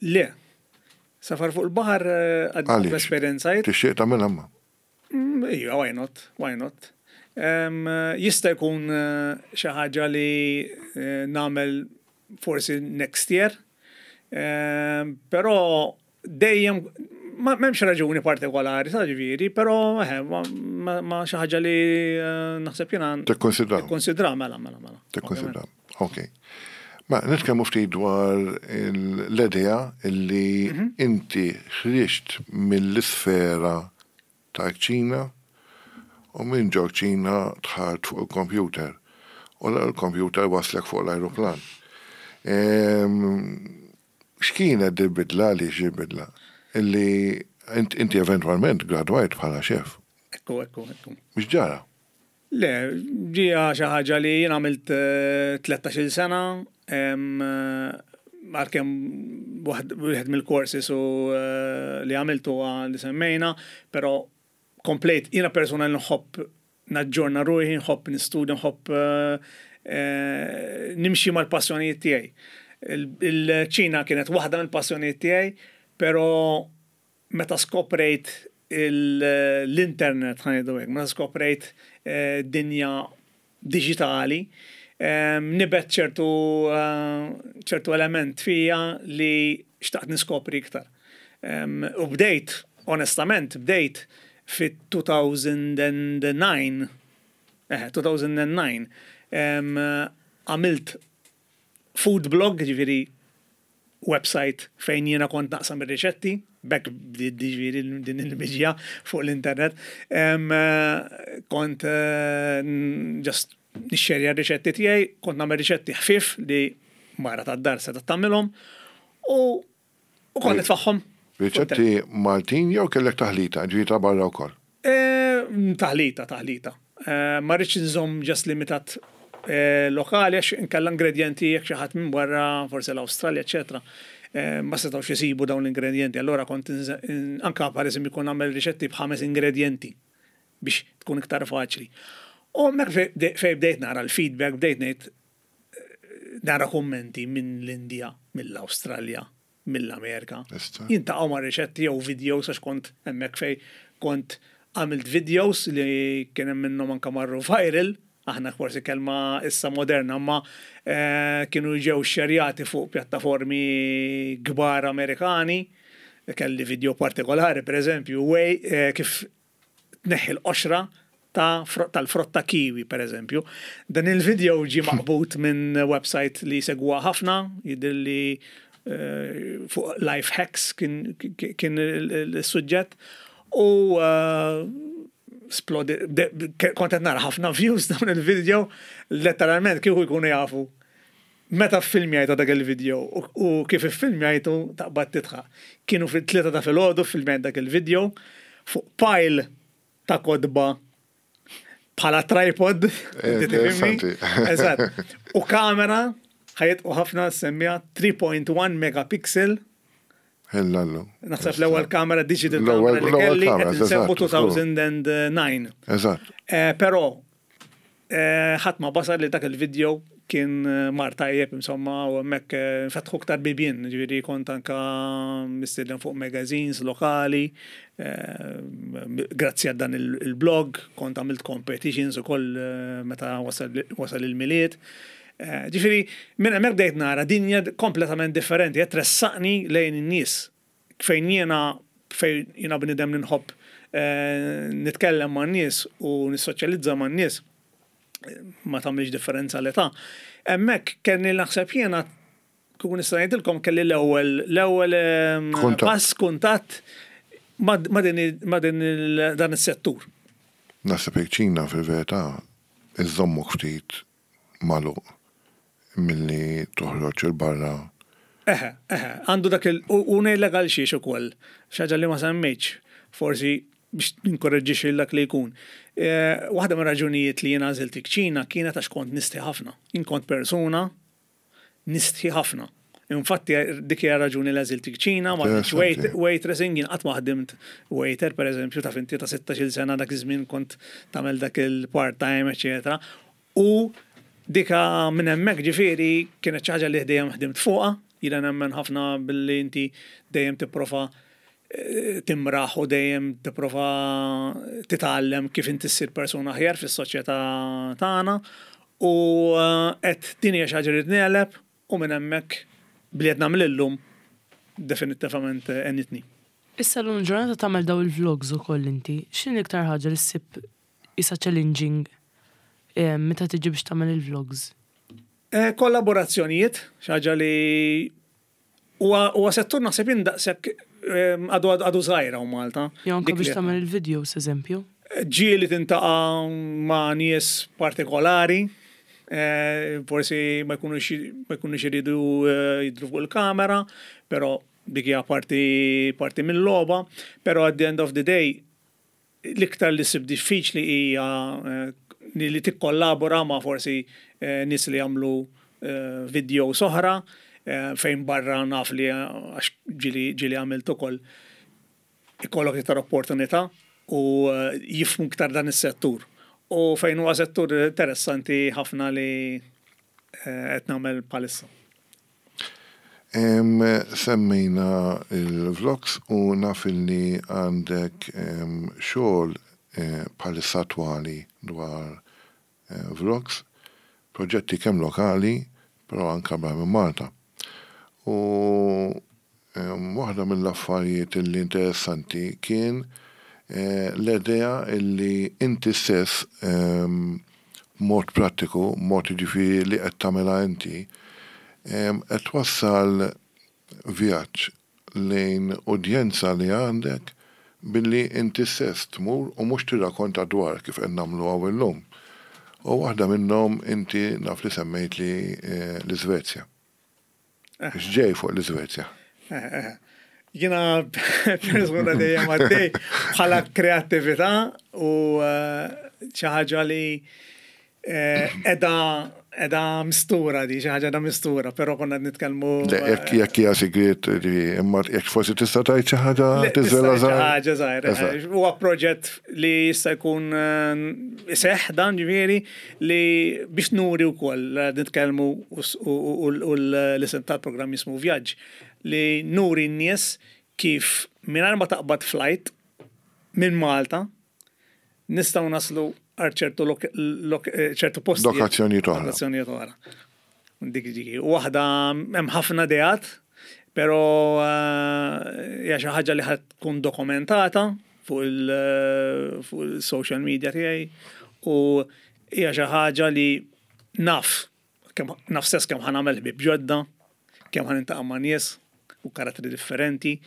Le. Safar fuq il-baħar eh, għad Għaliex? esperjenzajt. Tixtieq tagħmilha ma? Mm, Ija, why not? Why not? Um, jista' jkun eh, xi ħaġa li eh, nagħmel forsi next year. Um, però dejjem ma m'hemmx raġuni partikolari, ta' ġifieri, però eh, ma, ma, ma xi ħaġa li eh, naħseb jiena Tikkonsidra. Tikkonsidra, mela, mela, mela. Tikkonsidra. Ok. Ma nitkellmu ftit dwar l-idea illi inti ħriġt mill-isfera ta' kċina u minn ġo kċina dħalt fuq il-computer. U l-computer waslek fuq l-aeroplan. Ehm, X'kienet dil-bidla li xi bidla? Illi int- inti eventualment gradwajt bħala xef. Ekku, ekku, ekku. Mhux ġara? Le, ġija xi ħaġa li jien għamilt eh, tlettax-il sena, em, eh, għalkemm waħd wieħed mill-courses u eh, li għamiltu huwa li semmejna, però komplejt, jiena persona li nħobb naġġorna ruħi, nħobb nistudja, nħobb eh, eh, nimxi mal-passjonijiet tiegħi. Il- Il-kċina kienet waħda mill-passjonijiet tiegħi, però meta skoprejt il- l-internet, ħa ngħidu hekk, meta skoprejt eh, dinja digitali, em, nibet ċertu eh, ċertu element fija li xtaqt niskopri iktar. Em, U bdejt, onestament, bdejt fit-two thousand nine, eh, two thousand nine, em, għamilt food blog, ġifieri website fejn jiena kont naqsam ir-riċetti, bekk bdiet ġifieri din il-miġja fuq l-internet. Em, eh, Kont eh, n- just nixxerja r-riċetti tiegħi, kont nagħmel riċetti ħfif li mara tad-dar se tagħmilhom u u kont nitfagħhom. Riċetti Maltin jew kellek taħlita, ġifieri ta' barra wkoll? Eh, Taħlita, taħlita. Eh, Ma rridx nżomm just limitat eh, lokali għax inkella ingredienti jekk xi ħadd minn barra, forsi l-Awstralja, eċetera. eh, Ma setgħux isibu dawn l-ingredienti. Allora kont inż- in- anka per eżempju jkun nagħmel riċetti b'ħames ingredienti biex tkun iktar faċli. U hemmhekk fej fej bdejt nara l-feedback, bdejt ngħid eh, nara kummenti minn l-Indja, mill-Awstralja, Mill-Amerika. Jiltaqgħu ma' riċetti jew videos, għax kont hemmhekk fej kont għamilt videos li kien hemm minnhom anka marru viral, aħna forsi kelma issa moderna, ma eh, kienu ġew xerjati fuq pjattaformi kbar Amerikani. Kelli video partikolari, per eżempju, way, eh, kif tneħħi l-qoxra ta' tal-frotta kiwi, per eżempju. Dan il-video ġi maqbut minn website li segwa ħafna, jidhirli eh, fuq life hacks kien, kien il-suġġett. U uh, splodi, kont qed nara ħafna views dawn il-video, letteralment kieku jkunu jafu meta filmjajtu dak il-video u kif iffilmjajtu, taqbad tidħak. Kienu fit-tlieta ta' filgħodu filmjajt dak il-video fuq pile ta' kotba bħala tripod. Eżatt. U kamera ħajt u ħafna semmija tlieta punt wieħed megapixel. Hellallu. Naħseb l-ewwel kamera digital camera li kelli qed insemmu elfejn u disa'. Eżatt. Eh, però eh, ħadd ma basar li dak il-video kien eh, mar tajjeb, insomma, u hemmhekk fetħu ktar bibien, ġifieri kont anka mistieden fuq magazines lokali, grazzi għal dan il-blog, kont għamilt competitions ukoll meta wasal il-Milied. Ġifieri, minn hemmhekk bdejt nara dinja kompletament differenti, qed tressaqni lejn in-nies. Fejn jiena fejn jiena bnidem li nħobb nitkellem ma' nies u nissoċjalizza ma' nies, ma tagħmilx differenza l-età. Hemmhekk kelli, naħseb jiena, kieku nista' ngħidilkom, kelli l-ewwel l-ewwel pass, kuntatt ma' din dan is-settur. Naħseb Ċina fil-verità iżommok ftit magħluq milli toħroġ 'il barra. Eħe, eħe, għandu dak il- u ngħidlek għal xiex ukoll, xi ħaġa li ma semmejtx, forsi biex ninkoraġġi dak li jkun. Eh, waħda mir raġunijiet li jiena għażilt Ċina kienet għax kont nistħi ħafna. Jien kont persuna nistħi ħafna. Infatti dik hija raġuni li għażilt Ċina, ma waitressing, jien qatt ma ħdimt waiter, per eżempju, ta' finti ta' sittax-il sena dak iż-żmien kont tagħmel dak il-part-time, eċetera. U dika minn hemmhekk, ġifieri, kienet xi ħaġa li dejjem ħdimt fuqha, jiena nemmen ħafna billi inti dejjem tipprova eh, timraħ u dejjem tipprova titgħallem kif inti ssir persuna aħjar fis-soċjetà tagħna, u eh, qed din hija xi ħaġa li negħleb, u minn hemmhekk bli qed nagħmel illum definittivament għenitni. Issa l ġurnata tagħmel daw il-vlogs ukoll inti, x'inhi l-iktar ħaġa li ssib isa challenging eh, meta tiġi biex tagħmel il-vlogs? Eh, Kollaborazzjonijiet, xi ħaġa li huwa huwa settur, naħseb jien, daqshekk eh, għadu għadu żgħira u Malta. Jew anke Dik biex li- tagħmel il-videos, eżempju. Ġieli tiltaqa' ma' nies partikolari, eh, forsi ma jkunux ma jkunux iridu eh, jidru fuq il-kamera, però dik hija parti parti mill-logħba, però at the end of the day l-iktar li ssib diffiċli hija eh, li tikkollabora ma' forsi eh, nies li jagħmlu eh, video oħra, eh, fejn barra naf li eh, għax ġieli ġieli għamilt ukoll, ikollok iktar opportunità u eh, jifhmu iktar dan is-settur. U fejn huwa settur interessanti ħafna li eh, qed nagħmel bħalissa. Em, Semmejna il-vlogs u naf li għandek em, xogħol eh, bħalissa attwali dwar eh, vlogs, proġetti kemm lokali, però anka barra minn Malta. U em, waħda mill-affarijiet li interessanti kien eh, l-idea illi inti stess em, mod prattiku, mod, ġifieri, li qed tagħmilha inti, em, qed twassal vjaġġ lejn udjenza li għandek billi inti stess tmur u mhux tirrakonta dwar kif qed nagħmlu hawn illum. U waħda minnhom inti naf li semmejt li eh, l-Iżvezja. X'ġej fuq l-Iżvezja? Eh, eh. Jiena persuna dejjem għaddej bħala kreattività u eh, xi ħaġa li eh, edha edha mistura di, xi ħaġa da mistura, però konna qed nitkellmu. Le, jekk jekk hija sigriet, ġifieri, imma jekk forsi tista' tgħid xi ħaġa, Le, tiżvela tista' żgħir. ħaġa żgħira. Eżatt. Huwa proġett li jista' jkun eh, iseħħ dan, ġifieri, li biex nuri wkoll eh, nitkellmu u s- u u- u l-isem tal-programm jismu Vjaġġ. li nuri n-nies kif mingħajr ma taqbad flight minn Malta nistgħu naslu għal ċertu lok- lok- eh, ċertu posti. Lokazzjonijiet oħra. Lokazzjonijiet oħra. Dik dik. Waħda hemm ħafna ideat, però eh, hija xi ħaġa li ħad tkun dokumentata fuq il- fuq il-social media tiegħi u hija xi ħaġa li naf kemm naf stess kemm ħa nagħmel ħbieb ġodda, kemm ħa niltaqa' ma' nies u karattri differenti,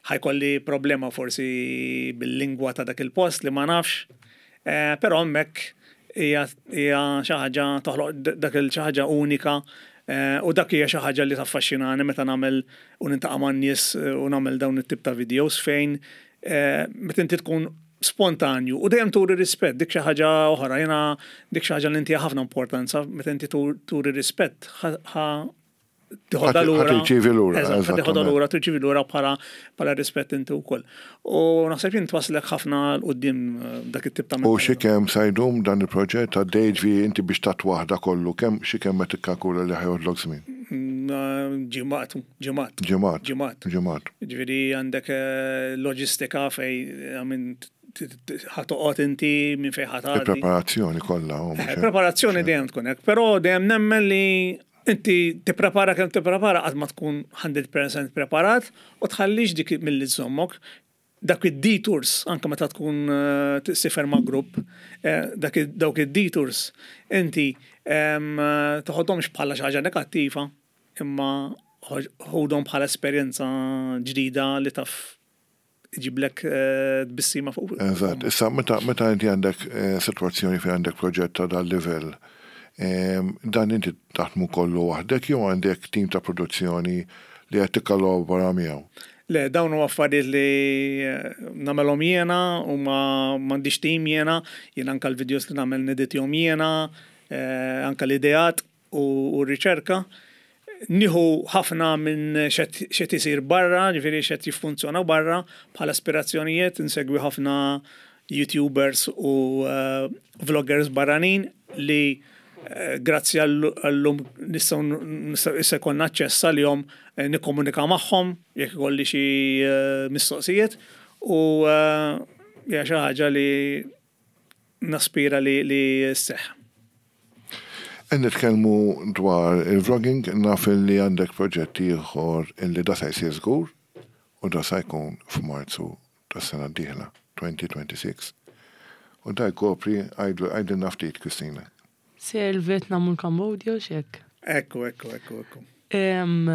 ħa jkolli problema forsi bil-lingwa ta' dak il-post li ma nafx, eh, però hemmhekk hija hija xi ħaġa toħloq dak il xi ħaġa unika eh, u dak hija xi ħaġa li taffaxxinani meta nagħmel u niltaqa' man-nies eh, u nagħmel dawn it-tip ta' videos fejn eh, meta inti tkun spontanju u dejjem turi rispett, dik xi ħaġa oħra, jiena dik xi ħaġa li inti ħafna importanza meta inti tur- turi rispett ħa tiħodha Ħa lura. tirċievi lura, Eżatt, ħa tiħodha eżattament. lura, tirċievi lura bħala bħala rispett inti wkoll. U naħseb jien twaslek ħafna 'l quddiem eh, dak it-tip ta' U xi kemm sa jdum dan il-proġett għaddej ġvi inti biex tat waħda kollu, kemm xi kemm qed tikkalkula li ħa joħodlok żmien? Mm, Ġimgħat, ġimgħat. Ġimgħat. Ġimgħat. Ġimgħat. Ġifieri għandek eh, loġistika fej għamin ħa toqgħod inti minn fej ħa tgħaddi. Il-preparazzjoni kollha. u mhux Eh, hekk. Preparazzjoni dejjem tkun hekk, però dejjem nemmen li inti tipprepara kemm tipprepara qatt ma tkun mija fil-mija preparat u tħallix dik milli żommok. Dak id-detours, anke meta tkun eh, tsiefer ma' grupp, eh, dak id- dawk id-detours, inti em, eh, toħodhomx bħala xi ħaġa negattiva, imma ħodhom bħala esperjenza ġdida li taf iġiblek eh, tbissima fuq. Eżatt. Issa meta meta inti għandek eh, sitwazzjoni fejn għandek proġett ta' dal livell, em, dan inti taħdmu kollu waħdek jew għandek tim ta' produzzjoni li qed tikkollabora miegħu? Le, dawn huwa affarijiet li eh, nagħmelhom jiena u ma m'għandix tim jiena, jiena anka l-videos li nagħmel neditjahom jiena, eh, anka l-ideat u, u r-riċerka. Nieħu ħafna minn x'qed isir barra, ġifieri x'qed jiffunzjona barra bħala aspirazzjonijiet, insegwi ħafna YouTubers u uh, vloggers barranin li eh, grazzi għallum nistgħu nistgħu issa jkollna aċċess għalihom eh, nikkomunika magħhom jekk ikolli xi eh, mistoqsijiet u eh, hija xi ħaġa li naspira li li sseħħ. Qed nitkellmu dwar il-vlogging, naf li għandek proġett ieħor illi da se jsir żgur u da se jkun f'Marzu tas-sena d-dieħla, elfejn u sitta u għoxrin. U da jkopri għajdilna ftit, Kristina. Sejjer il-Vietnam u l-Kambodja u xek. Ekku, ekku, ekku, ekku. Em,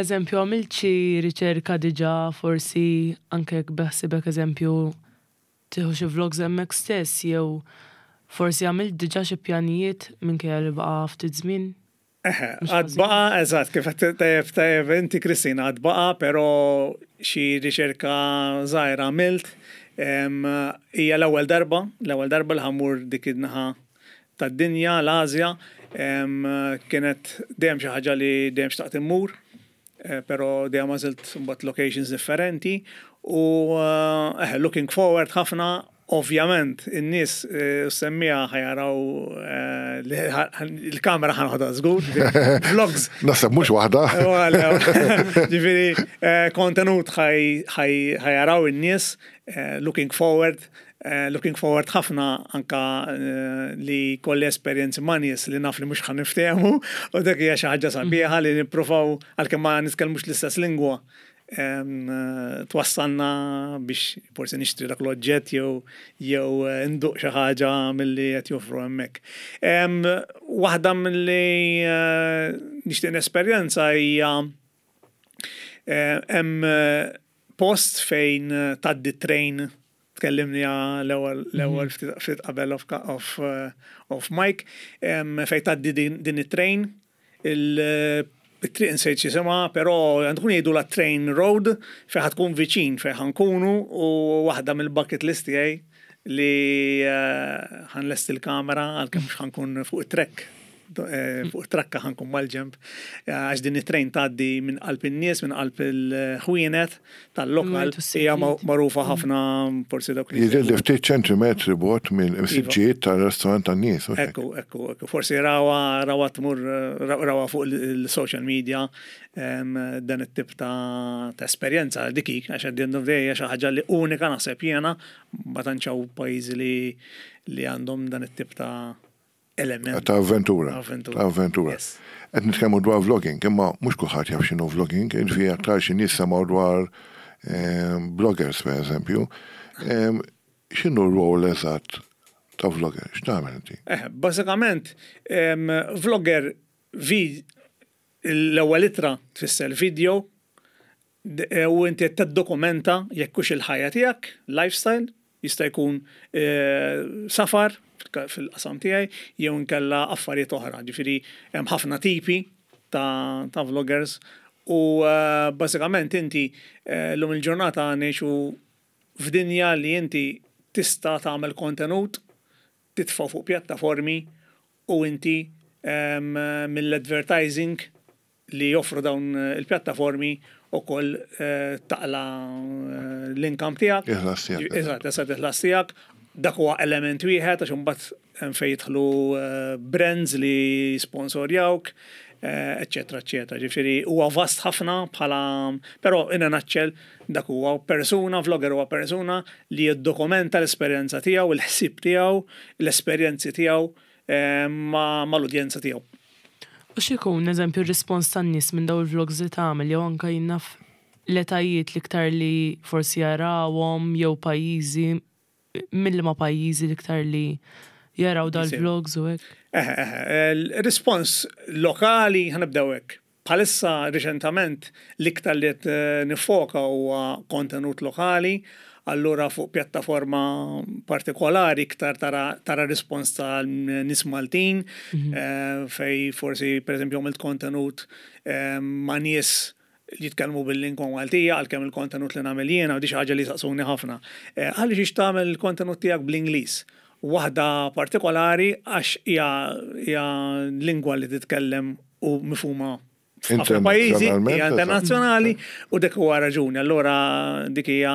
Eżempju, għamilt xi riċerka diġà, forsi anke jekk beħsibek eżempju tieħu xi vlogs hemmhekk stess jew forsi għamilt diġà xi pjanijiet minkejja li baqa' ftit żmien. Eħe, Mhux għad ħażin. baqa, eżatt, kif għedt tajjeb tajjeb inti, Kristina, għad baqa, però xi riċerka żgħira għamilt. Em, Hija l-ewwel darba, l-ewwel darba li ħa mmur dik in-naħa tad-dinja, l-Asja, em, kienet dejjem xi ħaġa li dejjem xtaqt immur, eh, però dejjem għażilt mbagħad locations differenti u eh, eħe, looking forward ħafna. Ovvjament, in-nies eh, semmija ħa jaraw eh, li ħa- il-kamera ħa noħodha żgur, vlogs. Naħseb mhux waħda. Ġifieri, eh, kontenut ħa jaraw in-nies, eh, looking forward, eh, looking forward ħafna anka eh, li kolli esperjenzi ma' nies li naf li mhux ħa niftehmu, u dak hija xi ħaġa sabiħa li nippruvaw għalkemm ma nitkellmux l-istess lingwa em, eh, twassalna biex forsi nixtri dak l-oġġett jew jew eh, nduq xi ħaġa milli qed joffru hemmhekk. Em, Waħda milli eh, nixtieq nesperjenza hija eh, hemm eh, post fejn eh, tgħaddi train, tkellimni l-ewwel l-ewwel ftit ftit qabel off off eh, off mic em, fejn tgħaddi din, din it-train, il it-triq insejt x'jisimha, però għandkun jgħidu la train road fejn ħa tkun viċin fejn ħa nkunu u waħda mill-bucket list tiegħi li eh, ħa nlesti l-kamera għalkemm mhux ħa nkun fuq it-track. eh, fuq trakka ħa nkun mal-ġenb, eh, għax din it-train tgħaddi minn qalb in-nies, minn qalb il-ħwienet tal-lokal, hija magħrufa ħafna forsi dawk li. Jidher li ftit ċentimetri bogħod mill-siġġijiet tal-restorant tan-nies. Ekku, ekku, ekku. Forsi rawa rawa tmur rawa fuq il-social media dan it-tip ta' esperjenza dik għax at the end of the day xi ħaġa li unika naħseb jiena, ma tantx hawn pajjiżi li li għandhom dan it-tip ta' element. Ta' avventura. Ta' avventura. Qed nitkellmu dwar vlogging, imma mhux kulħadd jaf x'inhu vlogging, jiġifieri aktar xi nies semgħu dwar bloggers per eżempju. X'inhu r-rol eżatt ta' vlogger? X'tagħmel inti? Eh, bażikament, vlogger vi l-ewwel ittra tfisser video e, u inti qed tiddokumenta jekk hux il-ħajja tiegħek, lifestyle, jista' jkun e, safar fil-qasam tiegħi jew inkella affarijiet oħra. Ġifieri hemm ħafna tipi ta', ta vloggers u uh, bażikament inti llum il-ġurnata ngħixu f'dinja li inti tista' tagħmel kontenut, titfa' fuq pjattaformi u inti um, mill-advertising li joffru dawn il-pjattaformi u koll eh, taqla eh, l-income tiegħek. Eżatt, eżatt, il-ħlas tiegħek. Dak huwa element wieħed għax imbagħad hemm fejn jidħlu eh, brands li sponsorjawk, eccetera, eccetera. Ġifieri huwa vast ħafna bħala, però in a nutshell dak huwa persuna, vlogger huwa persuna li jiddokumenta l-esperjenza tiegħu, il-ħsieb tiegħu, l-esperjenzi tiegħu mal-udjenza tiegħu. U x'ikun, eżempju, r-rispons tan-nies minn daw il-vlogs li tagħmel, jew anke jien naf l-etajiet l-iktar li forsi jarawhom jew pajjiżi, mill-ma pajjiżi l-iktar li jaraw dal-vlogs u hekk? Eh, eh, il-rispons lokali, ħa nibdew hekk. Bħalissa reċentament l-iktar li qed eh, nifoka huwa kontenut lokali, allura fuq pjattaforma partikolari iktar tara, tara rispons ta' nies Maltin, mm -hmm. eh, fej forsi per eżempju għamilt kontenut eh, ma' nies li jitkellmu bil-lingwa Maltija, għalkemm il-kontenut li nagħmel jiena, u di xi ħaġa li saqsuni ħafna. Eh, Għaliex tagħmel il-kontenut tiegħek bl-Ingliż? Waħda partikolari għax hija hija lingwa li titkellem u mifhuma f'ħafna pajjiżi, hija internazzjonali u dik huwa raġuni. Allura dik hija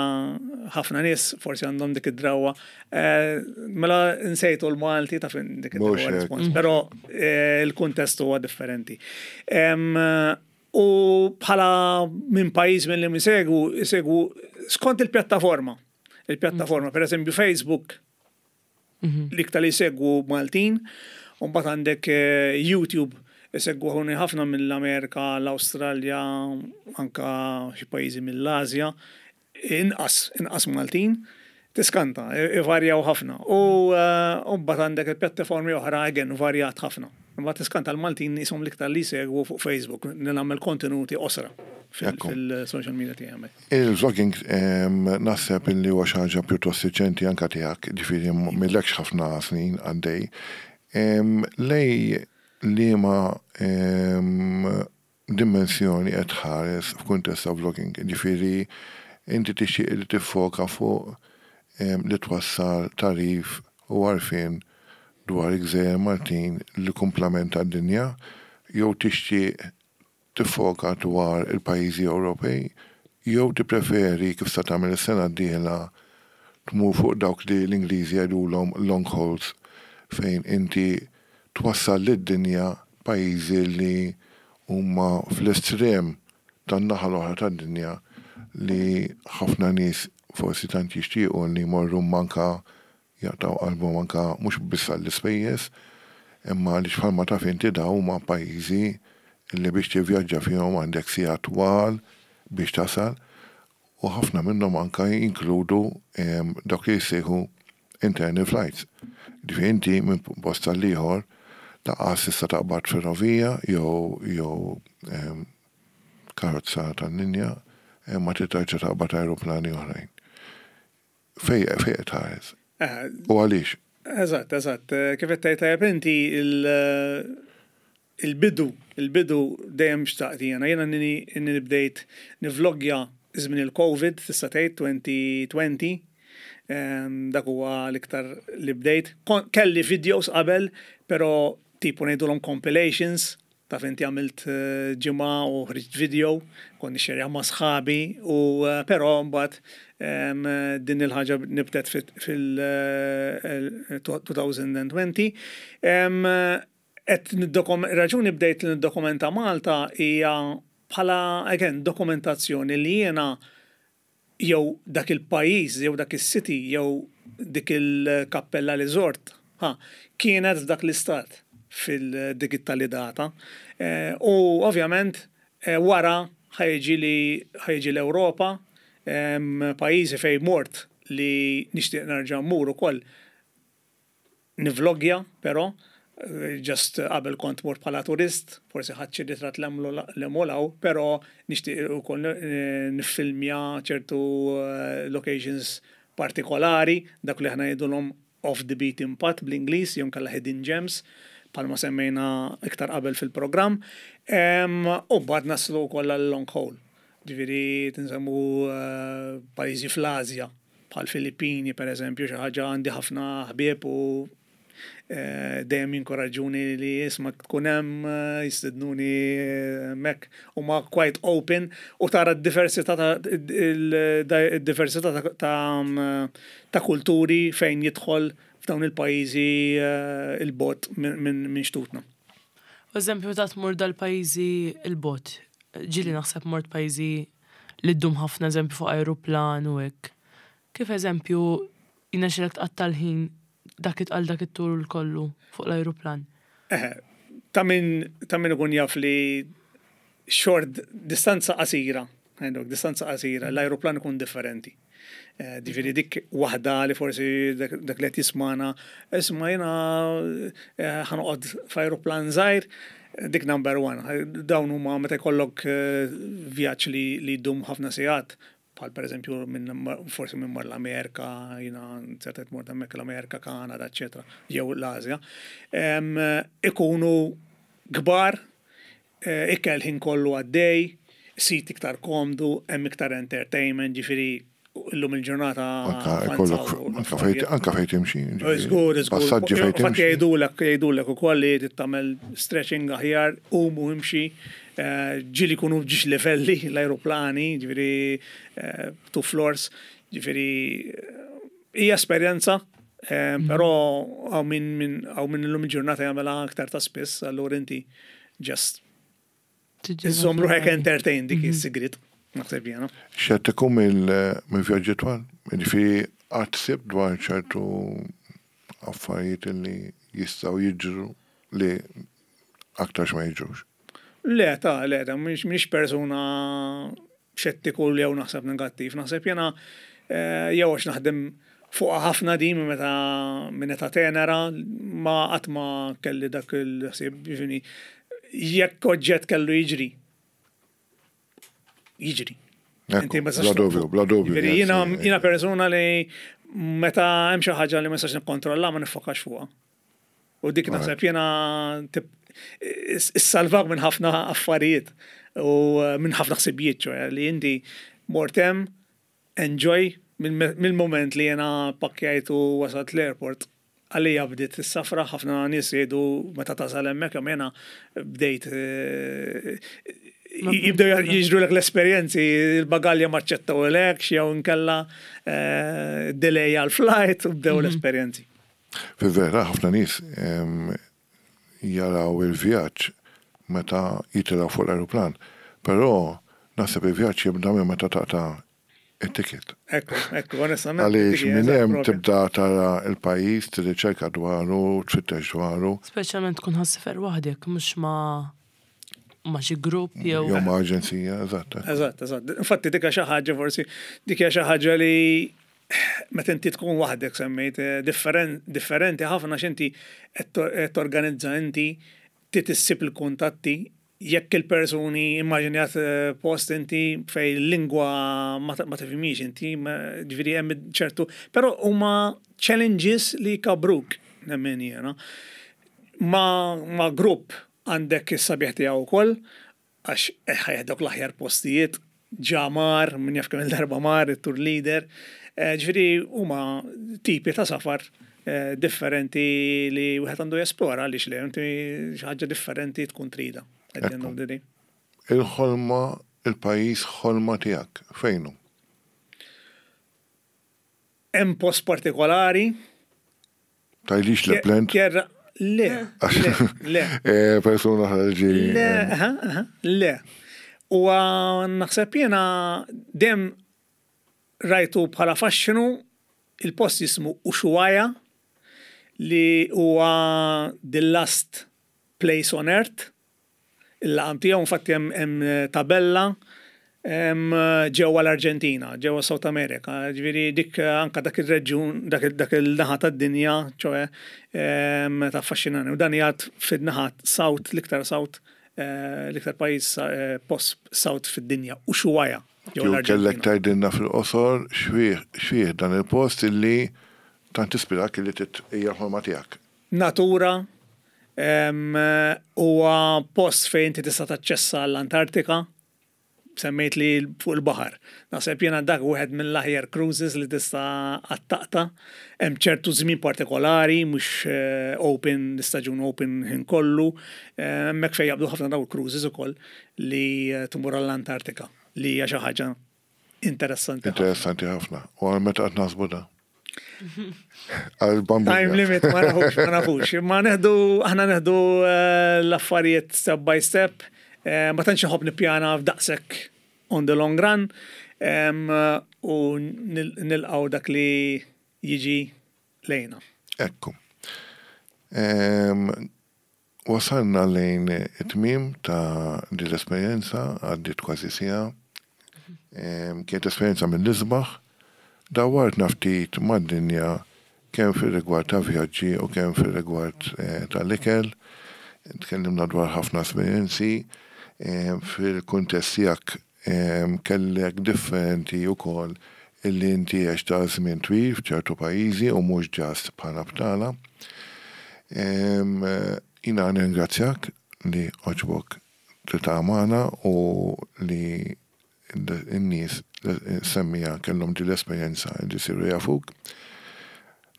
ħafna nies forsi għandhom dik id-drawa. Eh, mela nsejtu l-Malti ta' fin dik id-drawa respons, però eh, il-kuntest huwa differenti. U bħala minn pajjiż minn li jsegwu, jsegwu skont il-pjattaforma. Il-pjattaforma, per eżempju Facebook, l-iktar li jsegwu Maltin, u mbagħad għandek eh, YouTube isegwuni ħafna mill-Amerika, l-Awstralja, anka xi pajjiżi mill-Asja, inqas, inqas Maltin, tiskanta, ivarjaw ħafna. U eh, mbagħad għandek il-pjattaformi oħra again varjat ħafna. Mbagħad tiskanta l-Maltin jisom l-iktar li jsegwu fuq Facebook, nagħmel kontenuti qosra fil-social media tiegħi. Il-vlogging naħseb illi huwa xi ħaġa pjuttost riċenti anka tiegħek, ġifieri m'ilekx ħafna snin għaddej. Lej liema dimensjoni qed tħares f'kuntest ta' vlogging, ġifieri inti tixtieq li tiffoka fuq li twassal tagħrif u għarfien dwar il-Gżejjer Maltin li kumplament tad-dinja, jew tixtieq tiffoka dwar il-pajjiżi Ewropej, jew tippreferi kif se tagħmel is-sena d-dieħla tmur fuq dawk li l-Ingliżi jgħidulhom long hauls, fejn inti twassal lid-dinja pajjiżi li huma fl-estrem tan-naħa l-oħra tad-dinja li ħafna nies forsi tant jixtiequ li jmorru manka jaqtgħu qalbhom anka mhux biss għall-ispejjeż, imma għaliex bħalma taf inti dawn huma pajjiżi li biex tivvjaġġa fihom għandek sigħat twal biex tasal u ħafna minnhom anka jinkludu dawk li jissejħu internal flights. Ġifieri inti minn post għal ieħor lanqas tista' taqbad ferrovija jew jew karozza tal-linja imma trid terġa' taqbad aeroplani oħrajn. Fej fej qed tħares? U għaliex? Eżatt, eżatt. Kif qed tgħid tajjeb inti il-bidu, il-bidu dejjem xtaqt jiena. Jiena inni bdejt nivlogja żmien il-Covid, tista' tgħid elfejn u għoxrin. Dak huwa l-iktar li bdejt. Kelli videos qabel, però Tipo ngħidulhom compilations, ta' inti għamilt eh, ġimgħa u ħriġt video, kont nixxerja ma' sħabi, u eh, però mbagħad em, din il-ħaġa nibtet fil-elfejn u għoxrin. Em, Et niddokum- raġuni bdejt li niddokumenta Malta hija bħala, again, dokumentazzjoni li jiena jew dak il-pajjiż, jew dak is-city, jew dik il-kappella li żort, ha, kienet f'dak l-istat fil-digitali data. Eh, u ovvjament eh, wara ħa jiġi li ħa jiġi l-Ewropa, em, pajjiżi fej mort li nixtieq nerġa' mmur ukoll nivlogja, però, eh, just qabel kont mort bħala turist, forsi ħadt xi ritratt l-emolaw, però nixtieq ukoll eh, niffilmja ċertu eh, locations partikolari, dak li aħna ngħidulhom off the beaten path bl-Ingliż, jew inkella hidden gems, bħalma semmejna iktar qabel fil-programm. Em, U mbagħad naslu wkoll għal long haul. Ġifieri tinsemmu eh, pajjiżi fl-Asja, bħal Filippini per eżempju, xi ħaġa għandi ħafna ħbieb u eh, dejjem jinkoraġġuni li isma' tkun hemm eh, jistednuni hemmhekk huma quite open u tara d-diversità ta' il-diversità ta' ta' ta' kulturi fejn jidħol f'dawn il-pajjiżi eh, il-bogħod minn min, min xtutna. Eżempju, ta' tmur dal-pajjiżi il-bogħod. Ġieli naħseb mort pajjiżi li ddum ħafna, eżempju, fuq aeroplan u hekk. Kif, eżempju, jirnexxilek tqatta' l-ħin dak it-għal dak it-tul kollu fuq l-aeroplan? Eh, ta' min ta' min ikun jaf li short distanza qasira, għandek distanza qasira, l-aeroplan ikun differenti. Eh, Ġifieri dik waħda li forsi dak dak li qed jismana, isma' jiena eh, ħa noqgħod f'aeroplan żgħir, dik number one. Dawn huma meta jkollok eh, vjaġġ li li jdum ħafna sigħat, bħal per eżempju minn forsi minn mar l-Amerika, jiena ċertet mort hemmhekk l-Amerika, Kanada, eċetera, jew l-Asja, em, ikunu kbar, eh, ikel ħin kollu għaddej, seat iktar komdu, hemm iktar entertainment, ġifieri illum il-ġurnata. Anka jkollok, anka fejn anka fejn timxi. Żgur, żgur. Passaġġi fejn Infatti timxi. jgħidulek, jgħidulek ukoll li trid tagħmel stretching aħjar, umu imxi, eh, ġieli jkunu f'żewġ livelli l-aeroplani, ġifieri eh, two floors, ġifieri eh, hija esperjenza, eh, però hawn min min hawn min illum il-ġurnata jagħmilha aktar ta' spiss, allura inti just iżżomm ruħek entertain, dik is-sigrit, naħseb jiena. Xettiku mill-vjaġġi twal? Ġifieri qatt ħsibt dwar ċertu affarijiet li jistgħu jiġru li aktarx ma jiġrux? Le, ta' le, ta' mhix mhix persuna xettiku li jew naħseb negattiv. Naħseb jiena eh, jew għax naħdem fuq ħafna di minn meta minn età tenera, ma qatt ma kelli dak il-ħsieb, ġifieri jekk oġġett kellu jiġri. Jiġri. Ekku, Inti ma tistax bla dubju, bla dubju. Ġifieri jiena yes, jiena persuna li meta hemm xi ħaġa li ma nistax nikkontrolla, ma niffokax fuqha. U dik naħseb jiena tip- is- issalvak minn ħafna affarijiet u eh, minn ħafna ħsibijiet, ċoè li inti mort hemm, enjoy mill-moment li jiena pakkjajt u wasalt l-airport. Għalija bdiet is-safra. Ħafna nies jgħidu meta tasal hemmhekk, imma jiena bdejt eh, jibdew jiġru l l-esperjenzi, il-bagalja ma ċċettawlekx, jew inkella eh, delay għal-flight, u bdew l-esperjenzi. Fi vera, ħafna nies em, jaraw il-vjaġġ meta jitilgħu fuq l-aeroplan. Però naħseb il-vjaġġ jibda minn meta taqta' it-ticket. Ekku, ekku, onestament. Għaliex dik hija minn hemm propja. tibda tara il-pajjiż, tirriċerka dwaru, tfittex dwaru, Speċjalment tkun ħa ssiefer waħdek, mhux ma' ma' xi grupp jew. Jew ma' aġenzija, eżatt. Eżatt, eżatt. Infatti dik xi ħaġa forsi, dik hija xi ħaġa li meta inti tkun waħdek semmejt eh, differen- differenti ħafna x'inti qed torganizza inti, trid issib il-kuntatti, jekk il-persuni immaġinjat eh, post inti fej il-lingwa ma ta- ma tifhimix inti, ma- ġifieri hemm ċertu, però huma challenges li jkabruk, nemmen jiena. Ma, ma grupp għandek is-sabiħ tiegħu wkoll, għax ħa jeħdok l-aħjar postijiet, ġa mar, min jaf kemm il-darba mar, il-tour leader. Eh, Ġifieri huma tipi ta' safar eh, differenti li wieħed għandu jesplora, għaliex le, inti xi ħaġa differenti tkun trida. At the end of the day. Il-ħolma, il-pajjiż ħolma tiegħek, fejn hu? Hemm post partikolari. Tgħidlix Lapland? Kjerra, le, le, le. Eh, persuna ħarġi. Le, aha, aha, le. U naħseb jiena dem rajtu bħala faxxinu, il-post jismu Ushuaia, li huwa the last place on earth. Il-laqam tiegħu, infatti, hemm hemm tabella hemm ġewwa l-Arġentina, ġewwa South America. Ġifieri dik anka dak ir-reġjun, dak il- dak il-naħa tad-dinja, ċoe em, ta' affaxxinani. U dan jgħad fin-naħa south, l-iktar south, eh, l-iktar pajjiż eh, post south fid-dinja, Ushuaia, ġewwa Kieku kellek l-Arġentina. tgħidilna fil-qosor x'fih x'fih dan il-post illi tant ispirak illi tit hija l-ħolma tiegħek? Natura, em, huwa post fejn inti tista' taċċessa l-Antartika, semmejt li fuq il-baħar. Naħseb jiena dak wieħed mill-aħjar cruises li tista' għattaqta. Hemm ċertu żmien partikolari, mhux eh, open, l-istaġun open ħin kollu. Eh, Hemmhekk fejn jaqbdu ħafna daw il-cruises ukoll li eh, tmur għall-Antartika, li hija xi ħaġa interessanti ħafna. Interessanti ħafna. U għal meta qed naħsbu da? Għal bambu. Time limit ma nafux, ma nafux. Ma neħdu, aħna neħdu eh, l-affarijiet step by step. Eh, Ma tantx nħobb nippjana f'daqshekk on the long run. Em, U nil- nilqgħu dak li jiġi lejna. Ekku. Em, Wasalna lejn it-tmim ta' din l-esperjenza, għaddit kważi siegħa. Em, Kienet esperjenza mill-isbaħ. Dawartna ftit mad-dinja kemm fil-rigward ta' vjaġġi u kemm fil-rigward eh, tal-ikel. Tkellimna dwar ħafna esperjenzi. Em, Fil-kuntest tiegħek em, kellek differenti wkoll illi inti għext ta' żmien twil f'ċertu pajjiżi u mhux just bħala btala. Em, eh, Jiena nirringrazzjak li għoġbok tiltaqa' magħna u li n-nies semmiegħa kellhom din l-esperjenza li siru jafuk.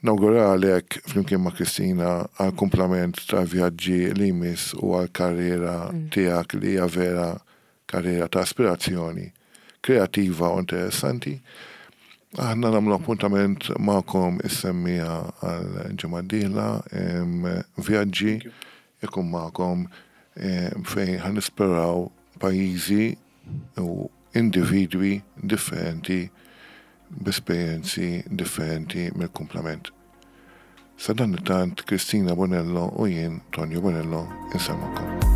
Nawguralek flimkien ma' Kristina għal kumplament ta' vjaġġi li jmiss u għal karriera tiegħek li hija vera karriera ta' aspirazzjoni kreativa u interessanti. Aħna nagħmlu appuntament magħkom is-semmiegħa għal ġimgħa d-dieħla, em, vjaġġi ikun magħkom em, fejn ħa nisploraw pajjiżi u individwi differenti b'esperjenzi differenti mill-kumplament. Sadanittant, Kristina Bonello u jien, Tonio Bonello, insellmulkom.